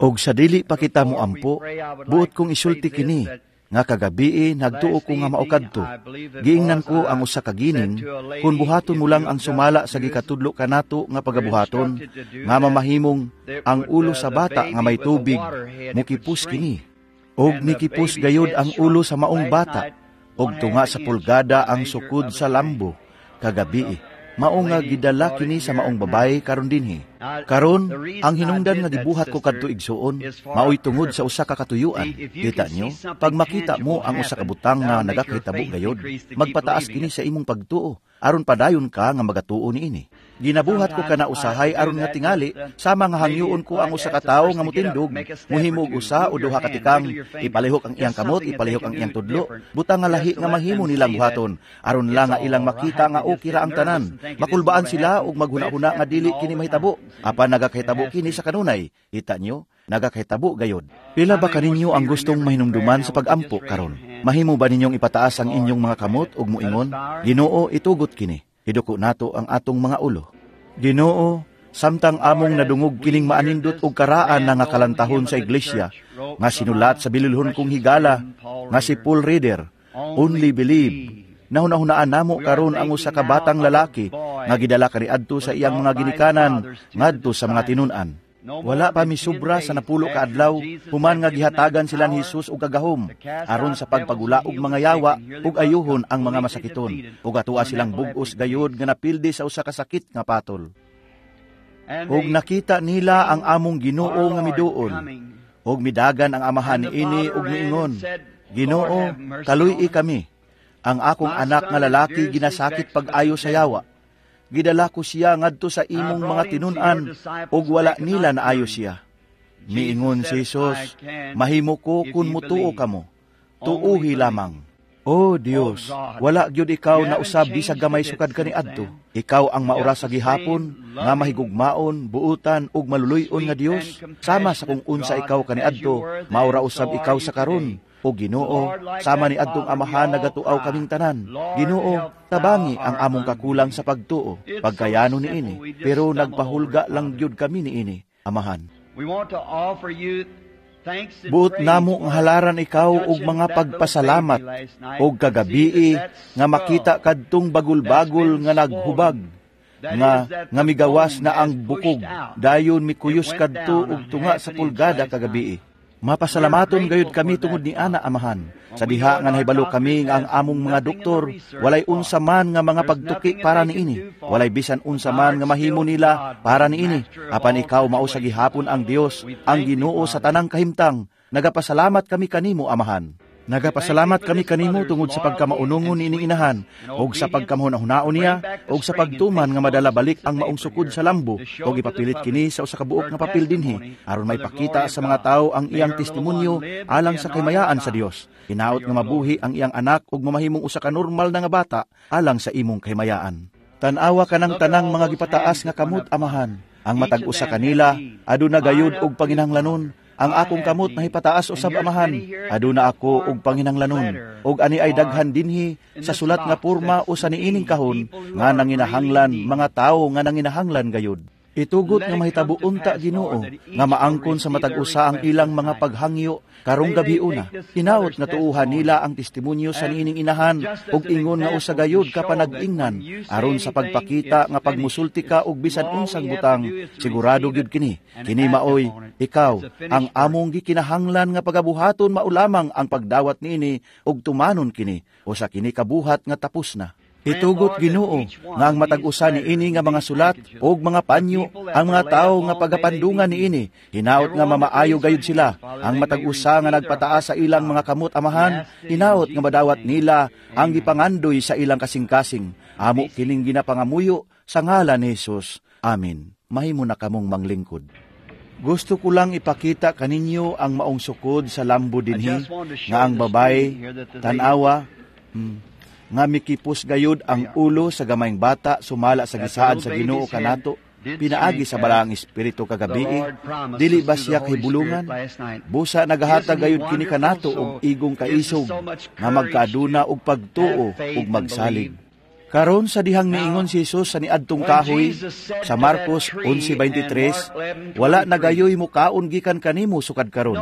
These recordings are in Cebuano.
Og sa dili pa kita moampo, buot kong isulti kini, nga kagabii nagtuo ko nga mao kadto. Giingnan ko ang usa ka gining, kung buhaton mo lang ang sumala sa gikatudlo kanato nga pagabuhaton, nga mamahimong ang ulo sa bata nga may tubig, mukipos kini. Og mikipos gayod ang ulo sa maong bata, og tunga sa pulgada ang sukod sa lambo, kagabii. Mao nga gidala kini sa maong babaye karon dinhi. Karon, ang hinungdan nga gibuhat ko kadto, igsuon, maoy tungod sa usa ka katuyuan. Kita nyo, pag makita mo ang usa ka butang nga nagakahitabo gayod, magpataas kini sa imong pagtuo, aron padayon ka nga magatuo niini. Ginabuhat ko kana usahay aron nga tingali sama nga hangyoon ko ang usa ka tawo nga motindog, mohimog usa o duha ka tikang, ipalihok ang iyang kamot, ipalihok ang iyang tudlo, butang nga lahi nga mahimo nilang buhaton, aron lang nga ilang makita nga okay ra ang tanan. Makulbaan sila ug maghuna-huna nga dili kini mahitabo, apan nagakahitabo kini sa kanunay. Kita nyo, nagakahitabo gayod. Pila ba kaninyo ang gustong mahinumduman sa pagampo karon? Mahimo ba ninyong ipataas ang inyong mga kamot ug moingon, "Ginoo, itugot kini"? Iduko nato ang atong mga ulo. Ginoo, samtang among nadungog kining maanindot og karaan na nga kalantahon sa iglesia, nga sinulat sa bililhon kong higala, nga si Paul Reader, "Only Believe," nahunahunaan namo karon ang usa ka batang lalaki nga gidala kaniadto sa iyang mga ginikanan ngadto sa mga tinun-an. Wala pa misubra sa 10 ka adlaw human nga gihatagan sila ni Jesus og kagahom aron sa pagpagula og mga yawa ug ayuhon ang mga masakiton, ug atua silang bug-os gayod nga napildi sa usa ka sakit nga patol. Ug nakita nila ang among Ginoo nga miduol, ug midagan ang amahan niini ug miingon, "Ginoo, kaluy-i kami. Ang akong anak nga lalaki ginasakit pag-ayo sa yawa. Gidala ko siya ngadto sa imong mga tinun-an ug wala nila naayo siya." Miingon si Jesus, "Mahimo ko kun mutuo kamo. Tuuhi lamang." O Dios, wala gyud ikaw na usab bisag gamay sukad kaniadto. Ikaw ang maura sa gihapon, nga mahigugmaon, buutan ug maluluy-on nga Dios. Sama sa kung unsa ikaw kaniadto, maura usab ikaw sa karon. O Ginoo, sama ni adtong amahan nagatuaw kaming tanan. Ginoo, tabangi ang among kakulang sa pagtuo, pagkayano niini, pero nagpahulga lang gyud kami niini, Amahan. Buot namo nga halaran ikaw og mga pagpasalamat og kagabii nga makita kadtong bagul-bagul nga naghubag nga nga migawas na ang bukog, dayon mikuyos kadto og tunga sa pulgada kagabii. Mapasalamaton gayud kami tungod ni ana, Amahan. Sa diha nga nahibalo kami nga ang among mga doktor walay unsa man nga mga pagtuki para niini. Walay bisan unsa man nga mahimo nila para niini. Apan ikaw mao sa gihapon ang Dios, ang Ginoo sa tanang kahimtang. Nagapasalamat kami kanimo, Amahan. Nagapasalamat kami kanimo tungod sa pagkamaunongon niining inahan, ug sa pagkamahuna-hunaon niya, ug sa pagtuman nga madala balik ang maong sukod sa lambo, ug ipapilit kini sa usa ka buok nga papel dinhi, aron maipakita sa mga tawo ang iyang testimonyo alang sa kahimayaan sa Dios. Hinaot nga mabuhi ang iyang anak ug mamahimong usa ka normal na nga bata alang sa imong kahimayaan. Tan-awa kanang tanang mga gipataas nga kamot, Amahan. Ang matag usa kanila aduna gayud og panginahanglanon. Ang akong kamot nahipataas usab, Amahan. Aduna ako og panginahanglanon. Og ani ay daghan dinhi sa sulat nga porma o sa niining kahon nga nanginahanglan, mga tawo nga nanginahanglan gayud. Itugot nga mahitabo unta, Ginoo, nga maangkon sa matag usa ang ilang mga paghangyo karong gabi una. Hinaot nga tuuhan nila ang testimonyo sa niining inahan ug ingon nga usa gayud ka panag-ingnan aron sa pagpakita nga pagmusulti ka og bisan unsang butang, sigurado gyud kini. Kini maoy ikaw. Ang among gikinahanglan nga pagabuhaton mao lamang ang pagdawat niini ug tumanon kini. Usa kini kabuhat nga tapos na. Itugot, Ginoo, nga ang matag usa niini nga mga sulat ug mga panyo, ang mga tawo nga pagapandungan niini, hinaot nga mamaayo gayud sila. Ang matag usa nga nagpataas sa ilang mga kamot, Amahan, hinaot nga madawat nila ang gipangandoy sa ilang kasing-kasing. Amo kining ginapangamuyo sa ngalan ni Jesus. Amen. Mahimo na kamong manglingkod. Gusto ko lang ipakita kaninyo ang maong sukod sa lambo dinhi nga ang babae, tanawa, nga mikipos gayud ang ulo sa gamayng bata sumala sa gisaad sa Ginoo kanato pinaagi sa Balaang Espiritu kagabii. Dili ba siya kahibulungan? Busa nagahatag gayud kini kanato og igong kaisog nga magkaaduna og pagtuo ug magsalig. Karon sa dihang miingon si Jesus sa niadtong kahoy sa Marcos 11:23, "Wala na gayoy mukaon gikan kanimo sukad karon."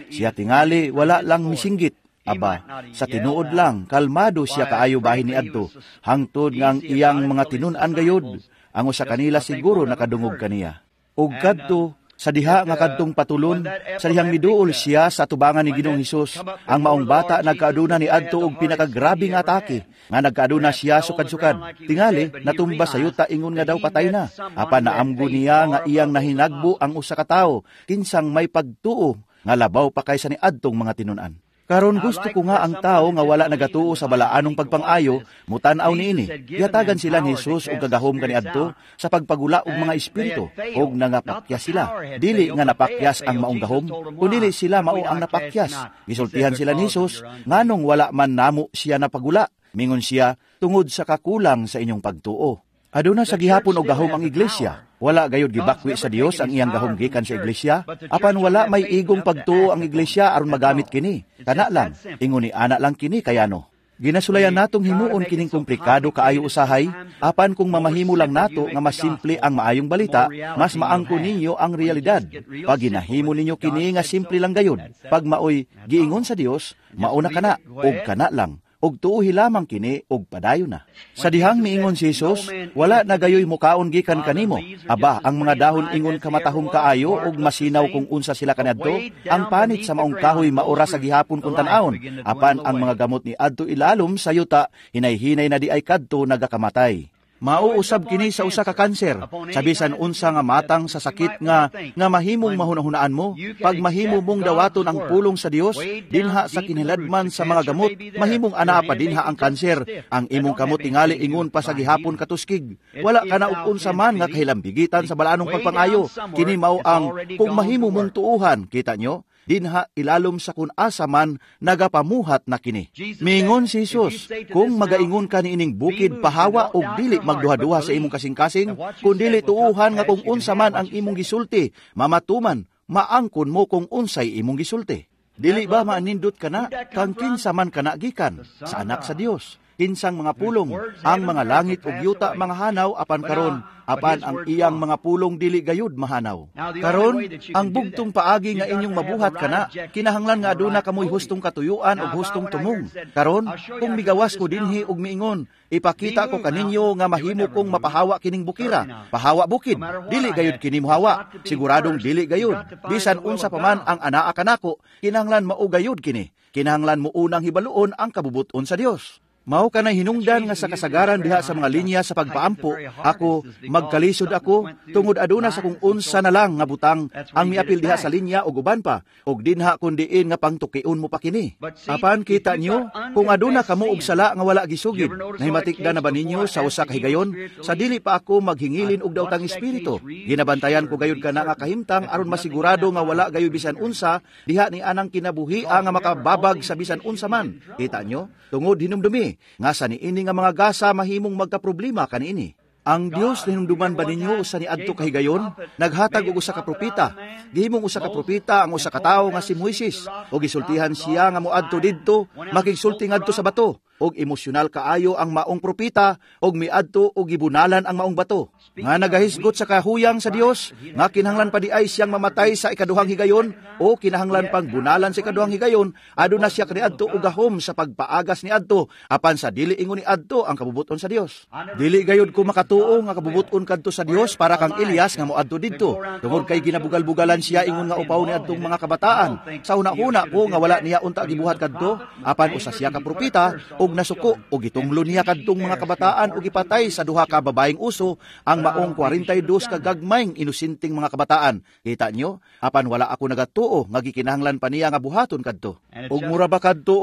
Siya tingali wala lang misinggit. Aba, sa tinuod lang kalmado siya kaayo bahin niadto, hangtod nga ang iyang mga tinun-an gayod ang usa kanila siguro nakadungog kaniya. Ug kadto sa diha nga kadtong patulon, sa dihang miduol siya sa atubangan ni Ginoong Hesus, ang maong bata nagkaaduna ni adto og pinakagrabe nga atake, nga nagkaaduna siya sukad-sukad. Tingali natumba sa yuta ingon nga daw patay na. Apan naamgo niya nga iyang nahinagbo ang usa ka tawo kinsang may pagtuo nga labaw pa kaysa ni adtong mga tinun-an. Karon gusto ko nga ang tao nga wala nagatuo sa balaanong pagpang-ayo mutan-aw niini. Gihatagan sila ni Jesus og kagahom kaniadto sa pagpagula og mga espiritu og nangapakyas sila. Dili nga napakyas ang maong gahom, kundi sila mao ang napakyas. Gisultihan sila ni Jesus, nganong wala man namo siya napagula? Mingon siya, tungod sa kakulang sa inyong pagtuo. Aduna sa gihapon og gahom ang iglesia. Wala gayud gibakwi sa Dios ang iyang gahom gikan sa iglesia, apan wala may igong pagtuo ang iglesia aron magamit kini. Kana lang, ingon ni ana lang kini kayano. Ginasulayan natong himuon kining komplikado kaayo usahay, apan kung mamahimo lang nato nga mas simple ang maayong balita, mas maangko ninyo ang realidad. Pag ginahimo ninyo kini nga simple lang gayud, pag maoy giingon sa Dios, mao na kana og kana lang, og tuohi lamang kini og padayon na. Sa dihang miingon si Jesus, "Wala na gayoy mukaon gikan kanimo." Aba, ang mga dahon ingon kamatahom kaayo og masinaw kung unsa sila kaniadto. Ang panit sa maong kahoy maura sa gihapon kung tan-awon. Apan ang mga gamot ni adto ilalom sa yuta, hinay-hinay na di ay kadto nagakamatay. Mauusab kini sa usa ka kanser, sa bisan unsa nga matang sa sakit nga nga mahimong mahunahunaan mo, pag mahimo mong dawaton ang pulong sa Dios dinha sa kiniladman sa mga gamot, mahimong anaa pa dinha ang kanser. Ang imong kamot tingali ingon pa sa gihapon katuskig. Wala ka na og unsa man nga kahilambigitan sa balaanong pagpangayo. Kini mao ang kung mahimo mong tuuhan, kita nyo? Dinha ilalom sa kun asa man nagapamuhat na kini. Mingon si Jesus, "Kung magaingon ka niining bukid, pahawa, og dili magduha-duha sa imong kasing-kasing, kun dili tuuhan nga kung unsa man ang imong gisulti, mamatuman, maangkon mo kung unsay imong gisulti." Dili ba maanindot kana kang kinsa man kana gikan sa anak sa Dios? Kinsang mga pulong, ang mga langit ug yuta mga hanaw apan karon, apan ang iyang mga pulong dili gayud mahanaw. Karon, ang bugtong paagi nga inyong mabuhat kana, kinahanglan nga aduna kamoy hustong katuyuan ug hustong tumong. Karon, kung migawas ko dinhi ug miingon, "Ipakita ko kaninyo nga mahimo kong mapahawa kining bukira. Pahawa, bukid." Dili gayud kini mohawa. Siguradong dili gayud. Bisan unsa pa man ang anaa kanako, kinahanglan mao gayud kini. Kinahanglan mo unang hibaluon ang kabubuton sa Dios. Mao kanay hinungdan nga sa kasagaran diha sa mga linya sa pagpaampo, ako magkalisod ako tungod aduna sa kung unsa na lang nga butang ang miapil diha sa linya ug uban pa, ug dinha kun diin nga pangtukion mo pa kini. Apan kita nyo, kung aduna kamo og sala nga wala gisugid, nahimatikda na ba ninyo sa usa ka higayon sa dili pa ako maghingilin og daotang espiritu? Ginabantayan ko gayud kana nga kahimtang aron masigurado nga wala gayud bisan unsa diha ni anang kinabuhi nga makababag sa bisan unsa man. Kita nyo, tungod hinumdumi nga sa niini nga mga gasa mahimong magkaproblema kaniini. Ang Dios, hinumduman ba ninyo sa niadto kahigayon, naghatag og usa ka propeta? Gihimong usa ka propeta ang usa ka tawo nga si Moises, ug gisultihan siya nga moadto didto, makigsulti ngadto sa bato, og emosyonal kaayo ang maong propeta og miadto og gibunalan ang maong bato. Nga nagahisgot sa kahuyang sa Dios nga kinahanglan pa di ay siyang mamatay sa ikaduhang higayon o kinahanglan pang bunalan sa ikaduhang higayon, aduna siya kaniadto og gahom sa pagpaagas niadto, apan sa dili ingon niadto ang kabubuton sa Dios. Dili gayud ko makatuo nga kabubuton kadto sa Dios para kang Elias nga moadto didto, tungod kay ginabugal-bugalan siya ingon nga upaw niadtong mga kabataan. Sa una-una ko nga wala niya unta gibuhat kadto, apan usa siya ka propeta og nasuko og gitunglo niya kadtong mga kabataan og gipatay sa duha ka babaeng uso ang maong 42 ka gagmayng inosenteng mga kabataan. Kita nyo? Apan wala ako nagatuo nga gikinahanglan pa niya nga buhaton kadto. Og mura ba kadto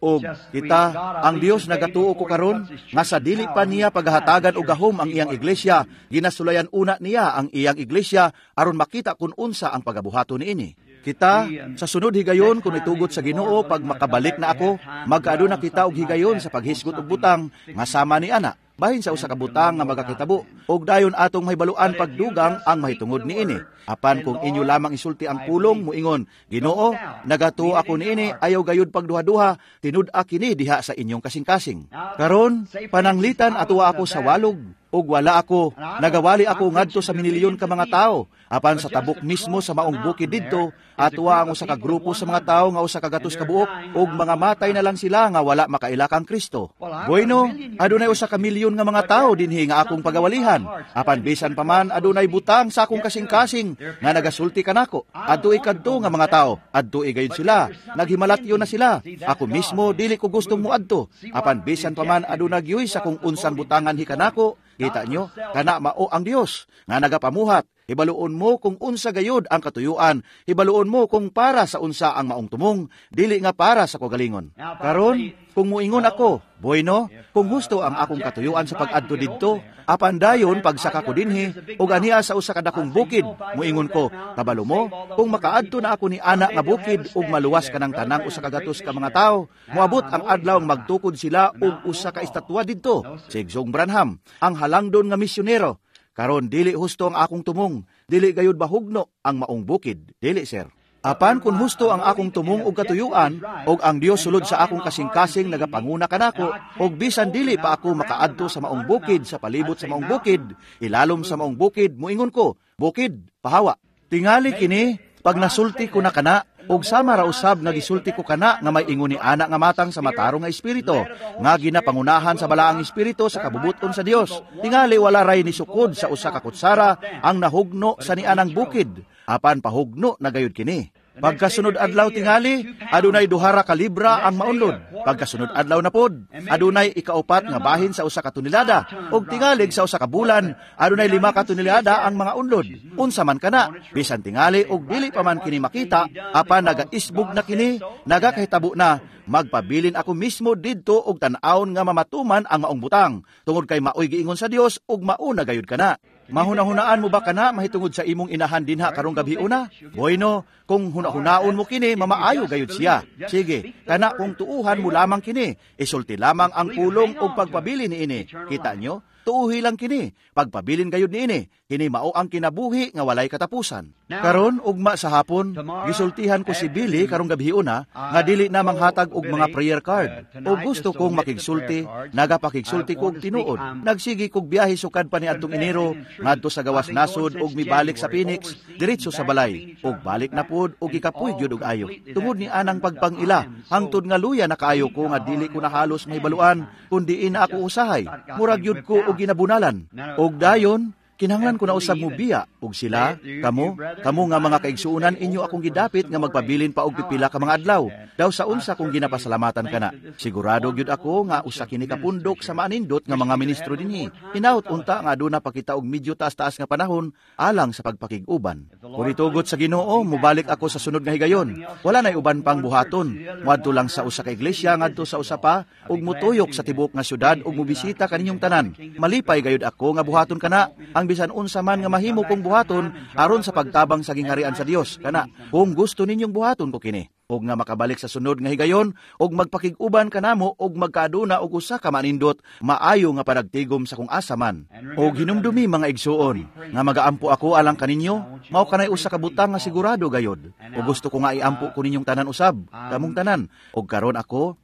og kita ang Dios nagatuo ko karon nga sa dili pa niya paghahatagan og gahom ang iyang iglesia, ginasulayan una niya ang iyang iglesia aron makita kun unsa ang pagabuhaton niini. Kita, sa sunod higayon, kung itugot sa Ginoo, pag makabalik na ako, magkaaduna kita og higayon sa paghisgot og butang nga sama ni ana. bahin sa usa ka butang nga magakitabo, ug dayon atong mahibaluan pagdugang ang mahitungod niini. Apan kung inyo lamang isulti ang pulong, muingon, "Ginoo, nagatuo ako niini, ayaw gayud pagduha-duha, tinud-a kini diha sa inyong kasing-kasing." Karon, pananglitan atuwa ako sa walog, ug wala ako, nagawali ako ngadto sa minilyon ka mga tao. Apan sa tabok mismo sa maong bukid didto, atuwa ang usa ka grupo sa mga tao nga 100 ka buok, ug mga matay na lang sila nga wala makaila kang Kristo. Bueno, adunay 1 milyon nga mga tao dinhi nga akong pagawalihan. Apan bisan pa man adunay butang sa akong kasing-kasing nga nagasulti kanako. Adtoi kadto nga mga tao, adtoi gayud sila, naghimalatyo na sila. Ako mismo dili ko gustong moadto. Apan bisan pa man aduna gyoy sa kung unsang butangan hikanako. Kita nyo, kana mao ang Dios nga nagapamuhat. Hibaluon mo kung unsa gayud ang katuyuan. Hibaluon mo kung para sa unsa ang maong tumong, dili nga para sa kagalingon. Karon, kung muingon ako, "Bueno, kung husto ang akong katuyuan sa pag-adto didto," apan dayon pagsaka ko dinhi ug aniya sa usa ka dakong bukid, muingon ko, "Kabalo mo, kung makaadto na ako ni ana nga bukid ug maluwas kanang tanang 100 ka mga tawo, moabot ang adlaw magtukod sila og usa ka estatwa didto, si Igsoong Branham, ang halangdon nga misyonero." Karon dili husto ang akong tumong, dili gayud bahugno ang maong bukid, dili, sir. Apan kung husto ang akong tumong og katuyuan, og ang Dios sulod sa akong kasing-kasing nagapanguna kanako, og bisan dili pa ako makaadto sa maong bukid, sa palibot sa maong bukid, ilalom sa maong bukid, muingon ko, "Bukid, pahawa." Tingali kini, pag nasulti ko na kana, og sama ra usab nga gisulti ko kana nga may ingon ni ana nga matang sa matarong nga espiritu, nga ginapangunahan sa balaang espiritu sa kabubuton sa Dios. Tingali wala ray ni sukod sa usa ka kutsara ang nahugno sa nianang bukid, apan pahugno na gayud kini. Pagkasunod adlaw tingali, adunay 2 ka libra ang maunlod. Pagkasunod adlaw na pod, adunay ikaupat nga bahin sa 1 ka tonelada. Ug tingalig sa 1 ka bulan, adunay 5 ka tonelada ang mga unlod. Unsa man kana, bisan tingali og dili pa man kini makita, apan nagaisbog na kini, nagakahitabo na, magpabilin ako mismo didto og tan-awon nga mamatuman ang maong butang, tungod kay maoy giingon sa Dios ug mauna gayud kana. Mahunahunaan mo ba kana mahitungod sa imong inahan dinha karong gabi una? Bueno, kung hunahunaon mo kini, mamaayo gayud siya. Sige, kana kung tuuhan mo lamang kini, isulti lamang ang pulong og pagpabilin niini. Kita nyo? Tuuhi lang kini, pagpabilin gayud niini. Kini mao ang kinabuhi nga walay katapusan. Karon ugma sa hapon, gisultihan ko si Billy karong gabi una nga dili na manghatag og mga prayer card. O gusto kong makigsulti, nagapakigsulti ko og tinuod. Nagsigi kog biyahe sukad pa niadtong Enero ngadto sa gawas nasod ug mibalik sa Phoenix, diretso sa balay. Ug balik na pod og gikapoy gyud og ayo. Tungod ni anang pagpangila, hangtod nga luya na kaayo ko nga dili ko na halos mahibaluan kun diin na ako usahay. Murag gyud ko og ginabunalan. Og dayon kinahanglan ko na usab mo biya og sila, kamo, kamo nga mga kaigsuonan, inyo akong gidapit nga magpabilin pa og pipila ka mga adlaw. Daw sa unsa kong ginapasalamatan kana. Sigurado gyud ako nga usa kini ka pundok sa maanindot nga mga ministro dinhi. Hinaut unta nga aduna pa kita og medyo taas-taas nga panahon alang sa pagpakig-uban. Kung itugot sa Ginoo, mubalik ako sa sunod nga higayon. Wala nay uban pang buhaton. Muadto lang sa usa ka iglesia ngadto sa usa pa ug mutuyok sa tibuok nga syudad ug mobisita kaninyong tanan. Malipay gayud ako nga buhaton kana ang bisan unsa man nga mahimo kong buhaton aron sa pagtabang sa gingharian sa Dios. Kana kung gusto ninyong buhaton ko kini ug nga makabalik sa sunod nga higayon ug magpakig-uban kanamo ug magkaaduna og usa ka manindot maayo nga panagtigom sa kung asa man. Og hinumdumi, mga igsuon, nga magaampo ako alang kaninyo, mao kanay usa ka butang nga sigurado gayod. Ug gusto ko nga iampo ko ninyong tanan usab, kamong tanan. Og karon ako,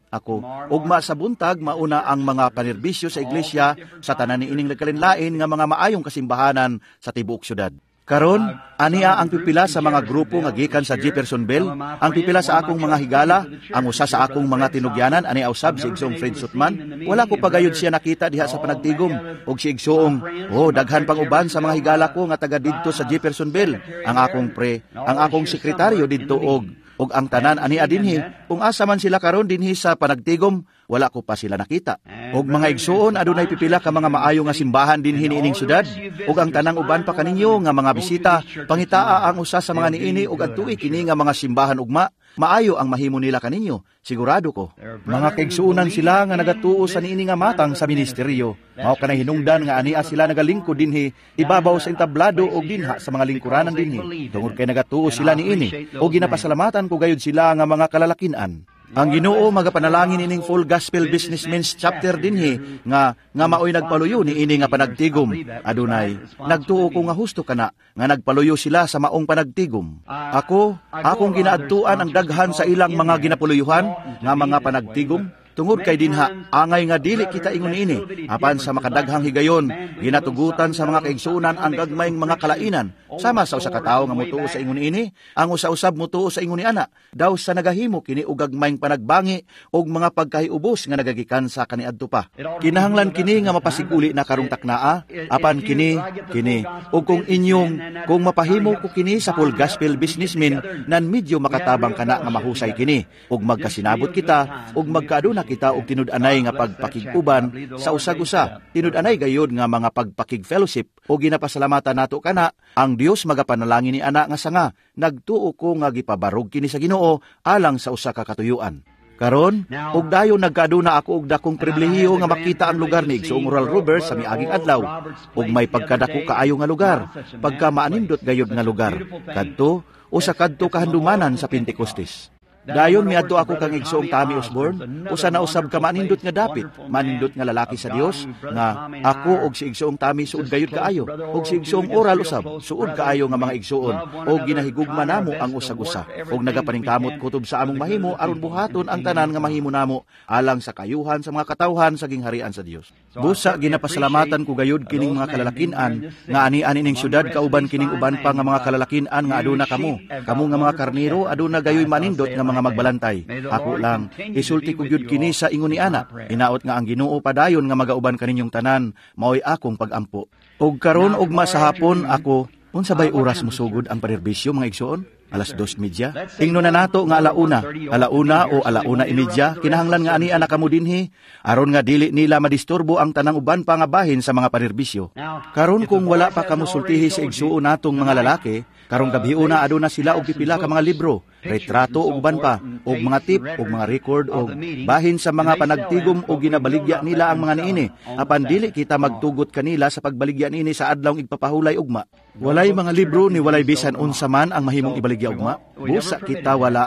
ugma sa buntag mauna ang mga panerbisyo sa iglesia sa tanan niining nagkalinlain nga mga maayong kasimbahanan sa tibuok syudad. Karon, ania ang pipila sa mga grupo nga gikan sa Jeffersonville, ang pipila sa akong mga higala, ang usa sa akong mga tinugyanan ani usab si Igsoong Fred Sothmann. Wala ko pagayod siya nakita diha sa panagtigom og si Igsoong, oh, daghan pang uban sa mga higala ko nga taga didto sa Jeffersonville, ang akong pre, ang akong sekretaryo didto og ang tanan ani dinhi. Kung asa man sila karon dinhi sa panagtigom, wala ko pa sila nakita. Og mga igsuon, adunay pipila ka mga maayo nga simbahan dinhi niining syudad, ug ang tanang uban pa kaninyo nga mga bisita, pangitaa ang usa sa mga niini ug adtui kini nga mga simbahan ugma. Maayo ang mahimo nila kaninyo, sigurado ko. Mga kaigsuonan sila nga nagatuo sa niini nga matang sa ministeryo. Mao kanay hinungdan nga ania sila nagalingkod dinhi ibabaw sa entablado og dinha sa mga lingkuranan dinhi. Tungod kay nagatuo sila niini, ug ginapasalamatan ko gayud sila nga mga kalalakinan. Ang Ginoo magapanalangin ining Full Gospel Businessmen's Chapter dinhi nga nga maoy nagpaluyo niini nga panagtigom. Adunay nagtuo ko nga husto kana nga nagpaluyo sila sa maong panagtigom. Ako akong ginaadtuan ang daghan sa ilang mga ginapuluyuhan nga mga panagtigom tungod kay dinha angay nga dili kita ingon niini apan sa makadaghang higayon ginatugutan sa mga kaigsuonan ang gagmayng mga kalainan sama sa usa ka tawo nga motuo sa ingon niini ang usa-usab motuo sa ingon ni ana daw sa nagahimo kini og gagmayng panagbangi og mga pagkahiubos nga nagagikan sa kaniadto pa. Kinahanglan kini nga mapasiguli na karong taknaa apan kini kini og kung inyong kung mapahimo ko kini sa Full Gospel Businessmen nan medyo makatabang kana nga mahusay kini og magkasinabot kita og magkaaduna kita og tinud-anay nga pagpakig-uban sa usag-usa, tinud-anay gayod nga mga pagpakig-fellowship o ginapasalamatan nato kana ang Dios magapanalangin ni ana nga sanga nagtuo ko nga gipabarog kini sa Ginoo alang sa usa ka katuyuan. Karon, og dayon nagkaaduna ako og dakong pribilehiyo nga makita ang lugar ni Igsoong Oral Roberts sa miaging adlaw ug may pagkadako kaayo nga lugar, pagka maanindot gayod nga lugar kadto usa kadto kahandumanan sa Pentecostes. Dayon miadto ako kang Igsoong Tommy Osborne, usa na usab ka manindot nga dapit, manindot nga lalaki sa Dios nga ako og si Igsoong Tommy suod gayud kaayo, og si Igsoong Oral usab suod kaayo nga mga igsoon, og ginahigugma namo ang usag-usa, og nagapaningkamot kutob sa among mahimo aron buhaton ang tanan nga mahimo namo alang sa kayuhan sa mga katawhan sa gingharian sa Dios. Busa ginapasalamatan ko gayud kining mga kalalakinan nga ani-ani ning syudad kauban kining uban pa nga mga kalalakinan nga aduna kamo. Kamo nga mga karniro aduna gayoy manindot nga mga magbalantay. Ako lang, isulti ko gyud kini sa ingon ni ana. Inaot nga ang Ginoo padayon nga magauban kaninyong tanan, maoy akong pagampo. Og karon ugma sa hapon ako, unsa bay oras mosugod ang panerbisyo mga igsoon? 2:30. Ingno na nato nga 1:00, 1:00 o 1:30, kinahanglan nga ani ana kamo dinhi aron nga dili nila madisturbo ang tanang uban pa nga bahin sa mga panerbisyo. Karon kung wala pa kamo sultihi sa igsuon natong mga lalaki, karong gabiuna aduna sila og pipila ka mga libro, retrato ug uban pa, og mga tip ug mga record og bahin sa mga panagtigom og ginabaligya nila ang mga niini. Apan dili kita magtugot kanila sa pagbaligya niini sa adlawng igpapahulay ugma. Walay mga libro ni walay bisan unsa man ang mahimong ibaligya ugma. Busa kita wala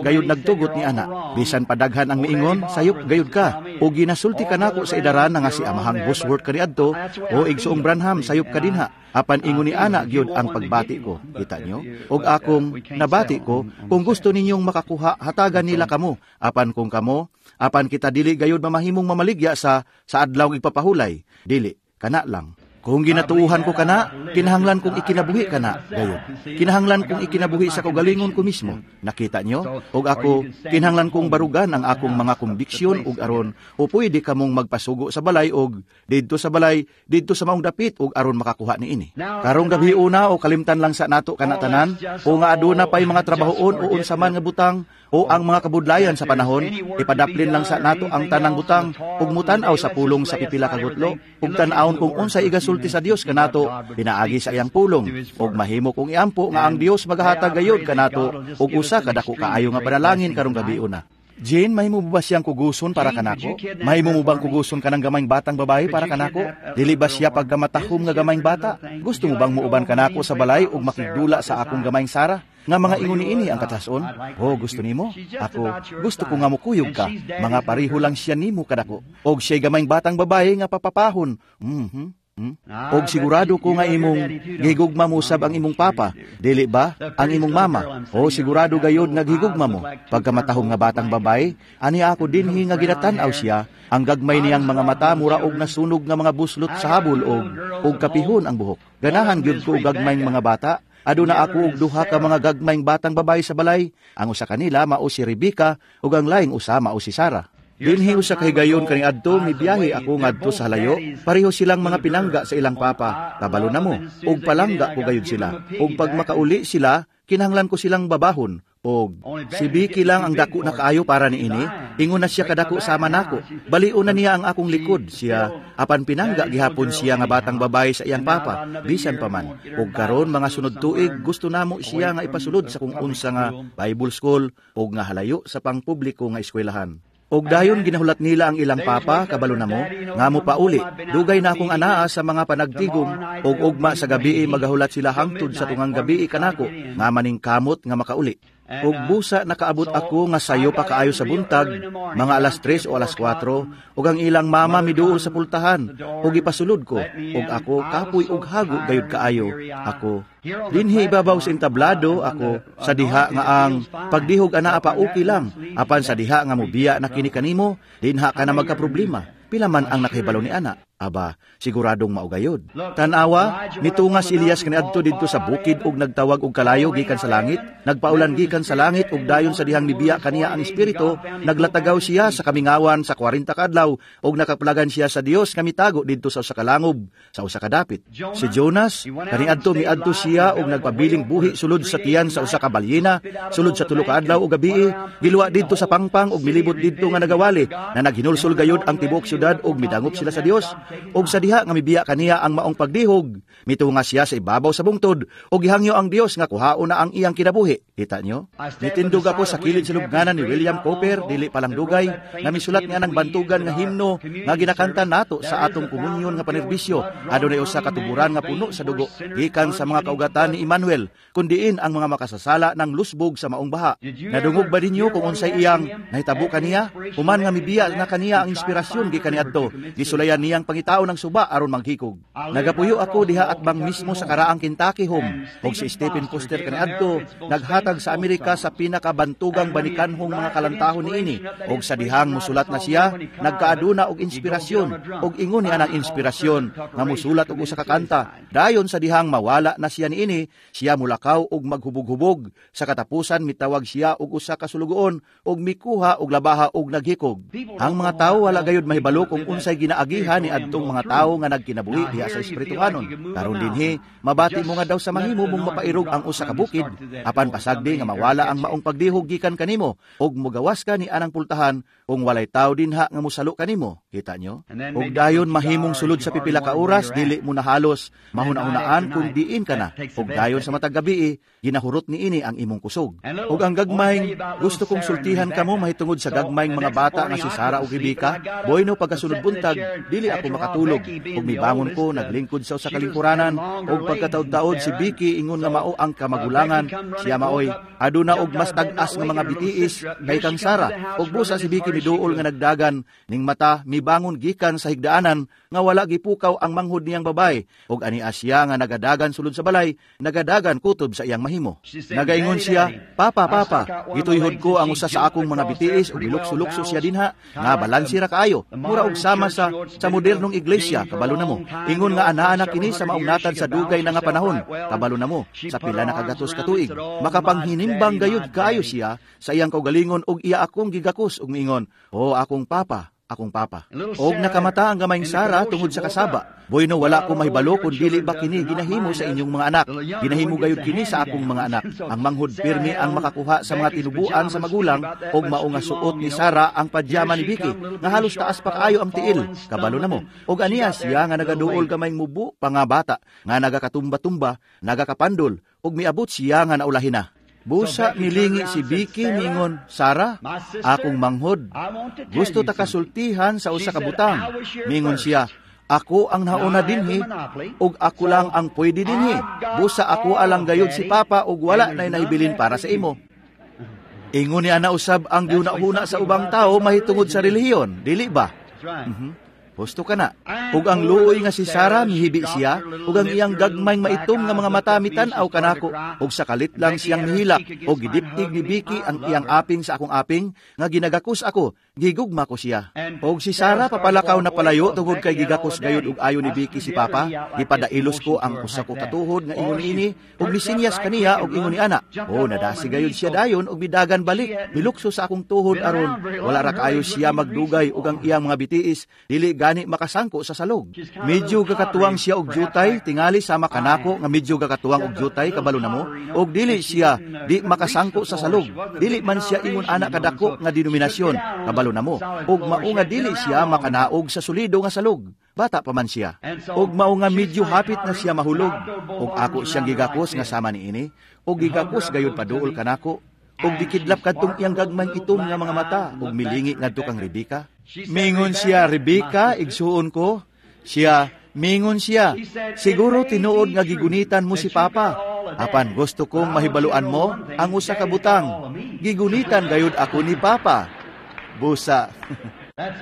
gayud nagtugot ni ana. Bisan padaghan ang miingon, sayop gayud ka. O ginasulti ka nako sa idaran nga si Amahang Bosworth kaniadto o Igsoong Branham, sayop ka dinha. Apan ingon ni ana gyud ang pagbati ko. Kita nyo? Og akong nabati ko, kung gusto ninyong makakuha, hatagan nila kamo. Apan kung kamo, apan kita dili gayud mamahimong mamaligya sa adlaw igpapahulay. Dili, kana lang. Kung ginatuuhan ko kana, kinahanglan kong ikinabuhi kana, gayud. Kinahanglan kong ikinabuhi sa kaugalingon ko mismo. Nakita nyo? Og ako, kinahanglan kong barugan ang akong mga kumbiksyon og aron o pwede kamong magpasugo sa balay og didto sa balay, didto sa maong dapit og aron makakuha niini. Karong gabi una o kalimtan lang sa nato kana tanan, o nga aduna pay mga trabahoon o unsa man nga butang o ang mga kabudlayan sa panahon, ipadaplin lang sa nato ang tanang butang ug mutan-aw sa pulong sa pipila ka gutlo ug tan-awon kung unsay igasulti sa Dios kanato pinaagi sa iyang pulong ug mahimo kong iampo nga ang Dios magahatag gayud kanato ug usa ka dako kaayo nga panalangin karong gabi una. Jane, mahimo ba siyang kuguson para kanako? Mahimo mo bang kuguson kanang gamayng batang babae para kanako? Dili ba siya pagkamatahom nga gamayng bata? Gusto mo bang muuban kanako sa balay ug makigdula sa akong gamayng Sara? Nga mga ingon niini ang katason? Oh, gusto nimo? Ako, gusto ko nga mukuyog ka. Mga pareho lang siya nimo kadako. Og siya'y gamayng batang babae nga papapahon. Og sigurado ko nga imong gihigugma mo sab ang imong papa, dili ba? Ang imong mama. O sigurado gayod nga gihigugma mo. Pagkamatahom nga batang babae, ani ako dinhi nga ginatan-aw siya, ang gagmay niyang mga mata mura og nasunog nga mga buslot sa habol og kapihon ang buhok. Ganahan gyud ko og gagmayng mga bata. Aduna ako og duha ka mga gagmayng batang babae sa balay. Ang usa kanila mao si Rebecca ug ang laing usa mao si Sarah. Dinhi usa ka higayon kaniadto mibiyahe ako ngadto sa halayo. Pareho silang mga pinangga sa ilang papa. Kabalo na mo og palangga ko gayud sila. Og pag makauli sila, kinahanglan ko silang babahon. Og si Vicky lang ang dako na kaayo para niini. Ingon na siya kadako sama nako. Balion na niya ang akong likod siya. Apan pinangga gihapon siya nga batang babae sa iyang papa. Bisan pa man. Og karon mga sunod tuig gusto namo siya nga ipasulod sa kung unsa nga Bible school og nga halayo sa pangpubliko nga eskwelahan. Og dayon ginahulat nila ang ilang papa, kabalo na mo, nga mo pauli. Dugay na akong anaa sa mga panagtigom, og ugma sa gabii magahulat sila hangtod sa tungang gabii kanako, nga maning kamot nga makauli. Ug busa nakaabot ako nga sayo pa kaayo sa buntag, mga 3:00 o 4:00, ug ang ilang mama miduol sa pultahan, ug ipasulod ko, ug ako kapoy ug hago gayud kaayo. Ako dinhi ibabaw sa entablado, ako sa diha nga ang pagdihog anaa pa okay lang, apan sa diha nga mobiya na kini kanimo, dinha ka na magkaproblema. Pila man ang nakahibalo ni ana? Aba, siguradong maugayod. Tanawa, mitunga si Elias kaniadto didto sa bukid ug nagtawag og kalayo gikan sa langit, nagpaulan gikan sa langit ug dayon sa dihang mibiya kaniya ang espiritu, naglatagaw siya sa kamingawan sa 40 ka adlaw ug nakaplagan siya sa Dios nga mitago didto sa usa ka langob, sa usa ka dapit. Si Jonas, kaniadto miadto siya ug nagpabiling buhi sulod sa tiyan sa usa ka balyena, sulod sa 3 ka adlaw ug gabii, giluwa didto sa pangpang ug milibot didto nga nagawali, na naghinulsol gayud ang tibuok syudad ug midangop sila sa Dios. Og sa diha nga mibiya kaniya ang maong pagdihog, mitunga siya sa ibabaw sa bungtod ug gihangyo ang Dios nga kuhaon na ang iyang kinabuhi. Kita nyo? Nitindog ako sa kilid sa lubnganan ni William Cowper, dili palang dugay, nga misulat nga ng bantugan nga himno nga ginakanta nato sa atong komunyon nga panerbisyo. Adunay usa ka tuburan nga puno sa dugo gikan sa mga kaugatan ni Emmanuel, kundiin ang mga makasasala ng lusbog sa maong baha. Nadungog ba ninyo kung unsay iyang nahitabo kaniya? Human nga mibiya na kaniya ang inspirasyon gikan niadto, gisulayan niyang pangitao ng suba aron manghikog. Nagapuyo ako diha at bang mismo sa karaang Kentucky home, og si Stephen Foster kaniadto naghatag sa Amerika sa pinakabantugang banikanhong mga kalantahon niini, og sa dihang musulat na siya, nagkaaduna og inspirasyon, og ingon niya ang inspirasyon nga musulat og usa ka kanta. Dayon sa dihang mawala na siya niini, siya mulakaw og maghubog-hubog. Sa katapusan mitawag siya og usa ka sulugoon og mikuha og labaha og naghikog. Ang mga tawo wala gayud mahibalo kung unsay ginaagihan ni adtong mga tawo nga nagkinabuhi diha sa espirituhanon. Karon dinhi, mabati mo nga daw sa mahimo mong mapairog ang usa ka bukid, apan pasagdi nga mawala ang maong pagdihog gikan kanimo ug mogawas ka ni anang pultahan kung walay tawo dinha nga mosalo kanimo. Kita nyo? Ug dayon mahimong sulod sa pipila ka oras, dili mo na halos mahuna-hunaan kung diin ka na. Ug dayon sa matag gabii, ginahurot niini ang imong kusog. Ug ang gagmay, gusto kong sultihan kamo mahitungod sa gagmayng mga bata nga si Sara ug Rebecca. Boyno pagkasunod buntag, dili ako makatulog. Ug mibangon ko, naglingkod sa usa ka lingkuranan, ug pagkataod-taod si Vicky ingon nga mao ang kamagulangan, siya maoy aduna og mas tag-as nga mga bitiis kay kang Sara. Ug busa si Vicky miduol nga nagdagan ning mata, mibangon gikan sa higdaanan nga wala gipukaw ang manghod niyang babay, ug ania siya nga nagadagan sulod sa balay, nagadagan kutob sa iyang mahimo. Nagaingon siya, "Papa, papa, gituyhod ko ang usa sa akong mga bitiis ug gilukso-lukso siya dinha nga balanse ra kaayo, mura og sama sa modernong iglesia, kabalo na mo. Ingon nga anaa na kini sa maong natad sa dugay na nga panahon, kabalo na mo, sa pila na kagatos ka tuig. Makapanghinimbang gayud kaayo siya sa iyang kaugalingon ug iya akong gigakos ug miingon, 'Oh, akong papa, akong papa.'" Og nakamata ang gamayng Sara tungod sa kasaba. Bueno, wala ko mahibalo kung dili ba kini ginahimo sa inyong mga anak. Ginahimo gayud kini sa akong mga anak. Ang manghod pirmi ang makakuha sa mga tinubuan sa magulang, og mao nga suot ni Sara ang pajama ni Vicky nga halos taas pa kaayo ang tiil. Kabalo na mo. Og aniya siya nga nagaduol gamayng mubo pa nga bata nga nagakatumba-tumba, nagakapandol, og miabot siya nga naulahin na. Busa milingi si Vicky mingon, "Sara, akong manghod, gusto ta kasultihan sa usa ka butang." Mingon siya, "Ako ang nauna dinhi, ug ako lang ang pwede dinhi. Busa ako alang gayud si Papa ug wala nay nahibilin para sa imo." Ingon ni ana usab ang gihuna-huna sa ubang tao mahitungod sa relihiyon, dili ba? Husto ka na. Ug ang luoy nga si Sara mihibi siya, ug ang iyang gagmayng maitom nga mga mata mitan-aw kanako, ug sa kalit lang siyang mihilak, ug gidiptig ni Vicky ang iyang aping sa akong aping, nga ginagakos ako, gigugma ko siya. Ug si Sara papalakaw na palayo tungod kay gigakos gayud ug ayo ni Vicky si Papa, gipadailos ko ang usa ko katuhod nga ingon niini, ug misinyas kaniya og ingon ni ana. O nadasi gayud siya dayon ug midagan balik, milukso sa akong tuhod aron wala ra kaayo siya magdugay ug ang iyang mga bitiis dili gani makasangko sa salog. Medyo gakatuwang siya og jutay, tingali sama kanako nga medyo gakatuwang og jutay, kabalo na mo, og dili siya di makasangko sa salog. Dili man siya ingon ana kadako nga denominasyon, kabalo na mo, og mao nga dili siya makanaog sa solido nga salog. Bata pa man siya. Og mao nga medyo hapit na siya mahulog, og ako siyang gigakos nga sama niini, og gigakos gayud paduol kanako, og gikidlap kadtong iyang gagmayng itom nga mga mata, og milingi ngadto kang Rebecca. Mingon siya, "Rebecca, igsuon ko." Siya, mingon siya, "Siguro tinuod nga gigunitan mo si Papa. Apan gusto kong mahibaluan mo ang usa ka butang. Gigunitan gayud ako ni Papa. Busa.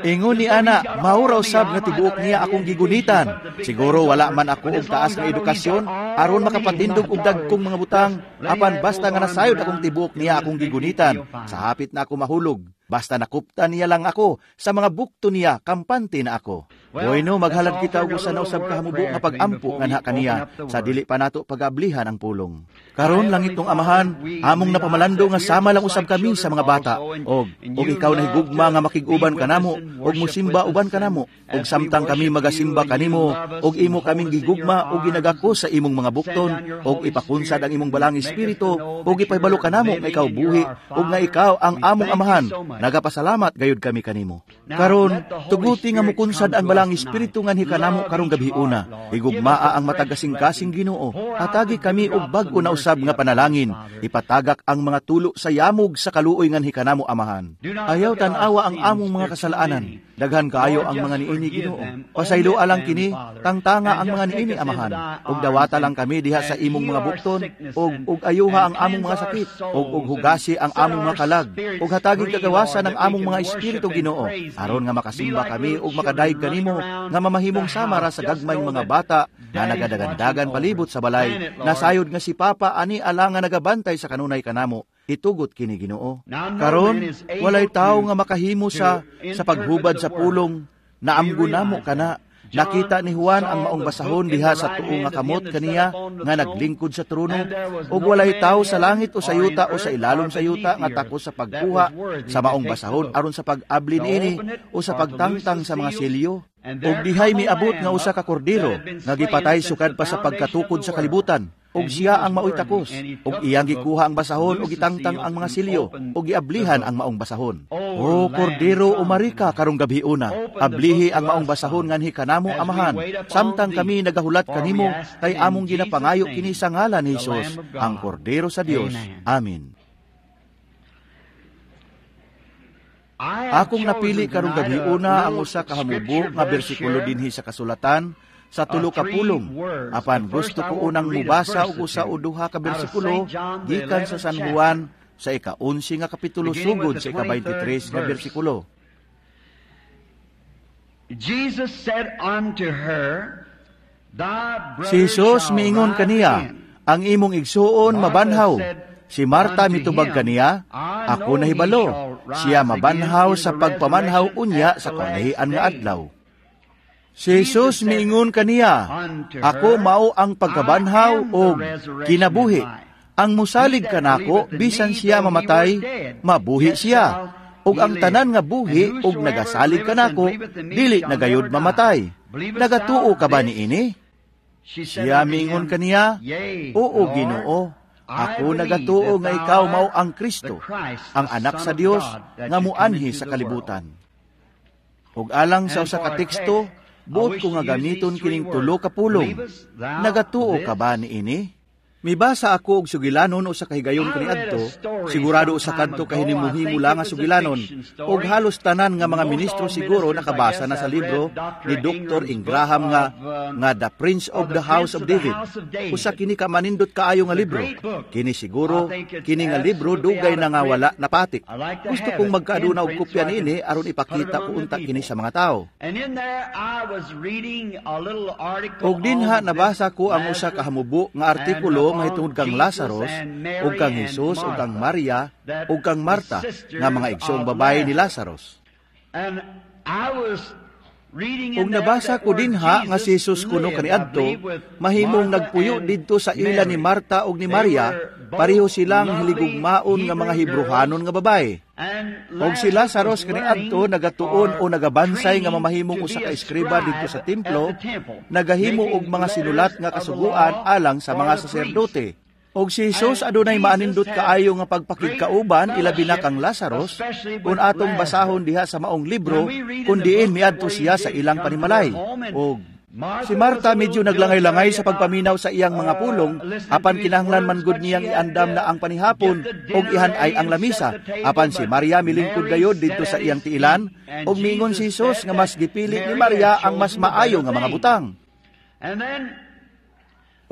Ingon ni ana, mao raw sab nga tibuok niya akong gigunitan. Siguro wala man ako og taas nga edukasyon aron makapatindog og dagkong mga butang, apan basta nga nasayod akong tibuok niya akong gigunitan, sa hapit na ako mahulog. Basta nakupta niya lang ako sa mga bukto niya, kampante na ako. Bueno, maghalad kita og usa na usab ka hamubo nga pag-ampo nganha kaniya sa dili pa nato pag-ablihan ang pulong. Karon langit tong Amahan, among napamalando nga sama lang usab kami sa mga bata. Og ikaw nahigugma nga makig-uban kanamo, og musimba uban kanamo, og samtang kami magasimba kanimo, og imo kaming gigugma og ginagako sa imong mga bukton, og ipakunsad ang imong balang espiritu, og ipahibalo kanamo nga ikaw buhi, og nga ikaw ang among Amahan. Nagapasalamat gayud kami kanimo. Karon, tuguti nga mukunsad ang balang espiritu nganhi kanamo karong gabiuna. Higugmaa ang matag kasing-kasing Ginoo. Hatagi kami og bag-o na usab nga panalangin. Ipatagak ang mga tulo sa yamog sa kaluoy nganhi kanamo, Amahan. Ayaw tan-awa ang among mga kasalaanan. Daghan kaayo ang mga niini, Ginoo. Pasayloa lang kini, tangtanga ang mga niini, Amahan. Ug dawata lang kami diha sa imong mga bukton, ug ayuha ang among mga sakit, ug hugasi ang among mga kalag, ug hatagi kagawasan ang among mga espiritu, Ginoo, aron nga makasimba kami ug makadayeg kanimo nga mamahimong sama ra sa gagmayng mga bata nga nagadagandagan palibot sa balay, nasayod nga si Papa ani alang nga nagabantay sa kanunay kanamo. Itugot kini, Ginoo. Karon walay tawo nga makahimo sa paghubad sa pulong, naamgo namo kana. Nakita ni Juan ang maong basahon diha sa tuo nga kamot kaniya nga naglingkod sa trono, ug walay tawo sa langit o sa yuta o sa ilalom sa yuta nga takos sa pagkuha sa maong basahon aron sa pag-abli niini o sa pagtangtang sa mga selyo. Ug dihay miabot nga usa ka kordero nga gipatay sukad pa sa pagkatukod sa kalibutan, ug siya ang maoy takos, ug iyang gikuha ang basahon ug gitangtang ang mga silyo, ug giablihan ang maong basahon. O kordero, umarika karong gabiuna, ablihi ang maong basahon nganhi kanamo, Amahan, samtang kami nagahulat kanimo, kay among ginapangayo kini sa ngalan ni Hesus, ang kordero sa Dios. Amen. Akong napili karong gabiuna ang usa ka hamubo nga bersikulo dinhi sa kasulatan sa tulo ka pulong. Apan gusto ko unang mubasa og usa o duha ka bersikulo gikan sa San Juan sa ika-11 nga kapitulo sugod sa ika-23 nga bersikulo. Jesus said unto her, Thy Si Jesus miingon kaniya, ang imong igsuon mabanhaw. Si Marta mitubag kaniya, ako nahibalo, siya mabanhaw sa pagpamanhaw unya sa kalahian nga adlaw. Si Jesus miingon kaniya, ako mao ang pagkabanhaw og kinabuhi. Ang musalig kanako, bisan siya mamatay, mabuhi siya. Ug ang tanan nga buhi og nagasalig kanako, dili na gayud mamatay. Nagatuo ka ba niini? Siya miingon kaniya, oo, Ginoo, ako nagatuo nga ikaw mao ang Kristo, ang anak sa Dios nga muanhi sa kalibutan. Ug alang sa usa ka teksto, buot ko nga gamiton kining tulo ka pulong. Nagatuo ka ba niini? Mibasa ako og sugilanon usa ka higayon kaniadto, sigurado usa kadto ka hinimuhimo lang nga sugilanon, og halos tanan nga mga ministro siguro nakabasa na sa libro ni Dr. Ingraham nga The Prince of the House of David. Usa kini ka manindot kaayo nga libro. Kini siguro kini nga libro dugay na nga wala napatik. Gusto kong magkaaduna og kopya niini aron ipakita ko unta kini sa mga tawo. Og dinha nabasa ko ang usa ka hamubo nga artikulo mahitungod kang Lazarus, ug kang Jesus, ug kang Maria, ug kang Marta, nga mga igsoong babae ni Lazarus. Ug nabasa ko dinha nga si Jesus kuno kaniadto, mahimong nagpuyo didto sa ila ni Marta ug ni Maria, pareho silang hiligugmaon nga mga Hebrohanon nga babae. Og si Lazarus kaniadto nagatuon o nagabansay nga mamahimong usa ka eskriba didto sa templo, nagahimo og mga sinulat nga kasuguan alang sa mga saserdote. Og si Jesus adunay maanindot kaayo nga pagpakigkauban ilabi na kang Lazarus, kun atong basahon diha sa maong libro kun diin miadto siya sa ilang panimalay. Og si Marta medyo naglangay-langay sa pagpaminaw sa iyang mga pulong, apan kinahanglan man gud niyang iandam na ang panihapon og ihan-ay ang lamisa. Apan si Maria milingkod gayod didto sa iyang tiilan, og miingon si Jesus nga mas gipili ni Maria ang mas maayo nga mga butang.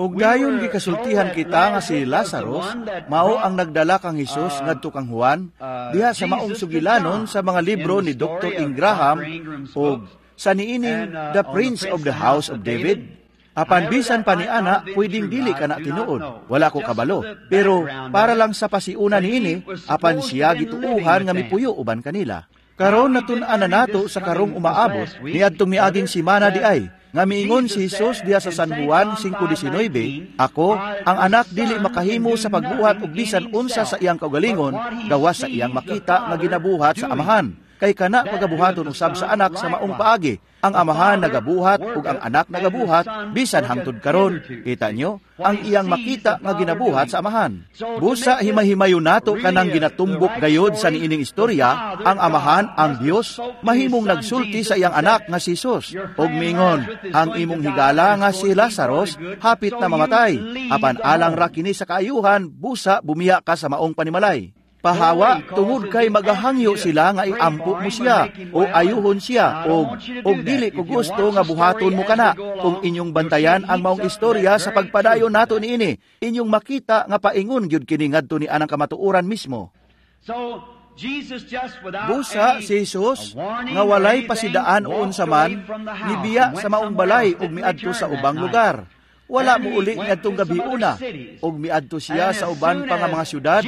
Ug dayon gikasultihan kita nga si Lazarus mao ang nagdala kang Hesus ngadto kang Juan diha sa maong sugilanon sa mga libro ni Dr. Ingraham ug sa niining The Prince of the House of David. Apan bisan pa ni ana, pwedeng dili kana tinuod. Wala ko kabalo. Pero para lang sa pasiuna niini, apan siya gituuhan nga mipuyo uban kanila. Karon natun-an na nato sa karong umaabot niadtong miaging simana di ay nga miingon si Jesus diha sa San Juan 5:19, "Ako, ang anak, dili makahimo sa pagbuhat og bisan unsa sa iyang kaugalingon, gawas sa iyang makita nga ginabuhat sa Amahan. Kay kana pagabuhaton usab sa anak sa maong paagi. Ang Amahan nagabuhat ug ang anak nagabuhat bisan hangtod karon." Kita nyo, ang iyang makita nga ginabuhat sa Amahan. Busa himahimayo nato kanang ginatumbok gayod sa niining istorya, ang Amahan, ang Dios, mahimong nagsulti sa iyang anak nga si Jesus ug miingon, "Ang imong higala nga si Lazarus hapit na mamatay. Apan alang ra kini sa kaayuhan, busa bumiya ka sa maong panimalay." Pahawa tungod kay magahangyo sila nga iampo mo siya o ayuhon siya og dili ko gusto nga buhaton mo kana. Kung inyong bantayan ang maong istorya sa pagpadayon nato niini, inyong makita nga paingon gyud kini ngadto ni anang kamatuoran mismo. Busa si Jesus nga walay pasidaan o unsa man, nibiya sa maong balay ug miadto sa ubang lugar. Wala mo uli ngadtong gabiuna, ug miadto siya sa uban pa nga mga syudad,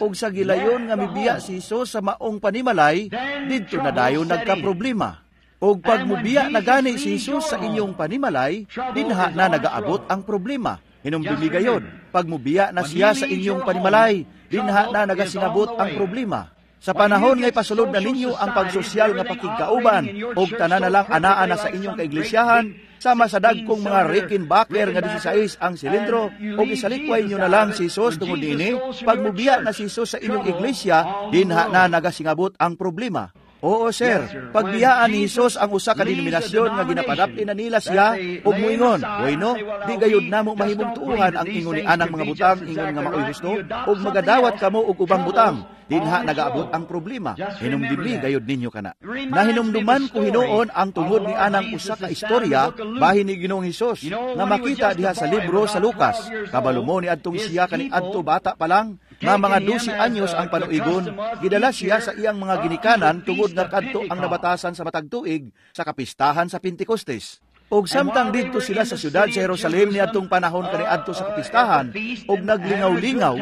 ug sa gilayon nga mibiya si Jesus sa maong panimalay, didto na dayon nagkaproblema. Ug pag mubiya na gani si Jesus sa inyong panimalay, dinha na nagaabot ang problema. Hinumdumi gayon, pag mubiya na siya sa inyong panimalay, dinha na nagasingabot ang problema. Sa panahon nga ipasulod na ninyo ang pagsosyal nga pakigkauban, ug tanan na lang anaa na sa inyong kaiglesyahan, sama sa dagkong mga Rickenbacker nga 16 ang silindro, ug isalikway nyo na lang si Jesus tungod niini, pag mubiya na si Jesus sa inyong iglesia, dinha na nagasingabot ang problema. Oo, sir, pagbiyaan ni Jesus ang usa ka denominasyon nga ginapadapti na nila siya ug moingon, "Bueno, di gayud namo mahimong tuuhan ang ingon ni anang mga butang ingon nga maoy husto, ug magadawat kamo og ubang butang." Dinha nagaabot ang problema. Hinumdumi gayud ninyo kana. Nahinumduman ko hinuon ang tungod ni anang usa ka istorya bahin ni Ginoong Hesus nga makita diha sa libro sa Lucas. Kabalo mo ni adtong siya kaniadto bata pa lang nga mga 12 anyos ang panuigon, gidala siya sa iyang mga ginikanan tungod nga kadto ang nabatasan sa matag tuig sa kapistahan sa Pentecostes. Og samtang didto sila sa syudad sa Jerusalem niadtong panahon kaniadto sa kapistahan og naglingaw-lingaw,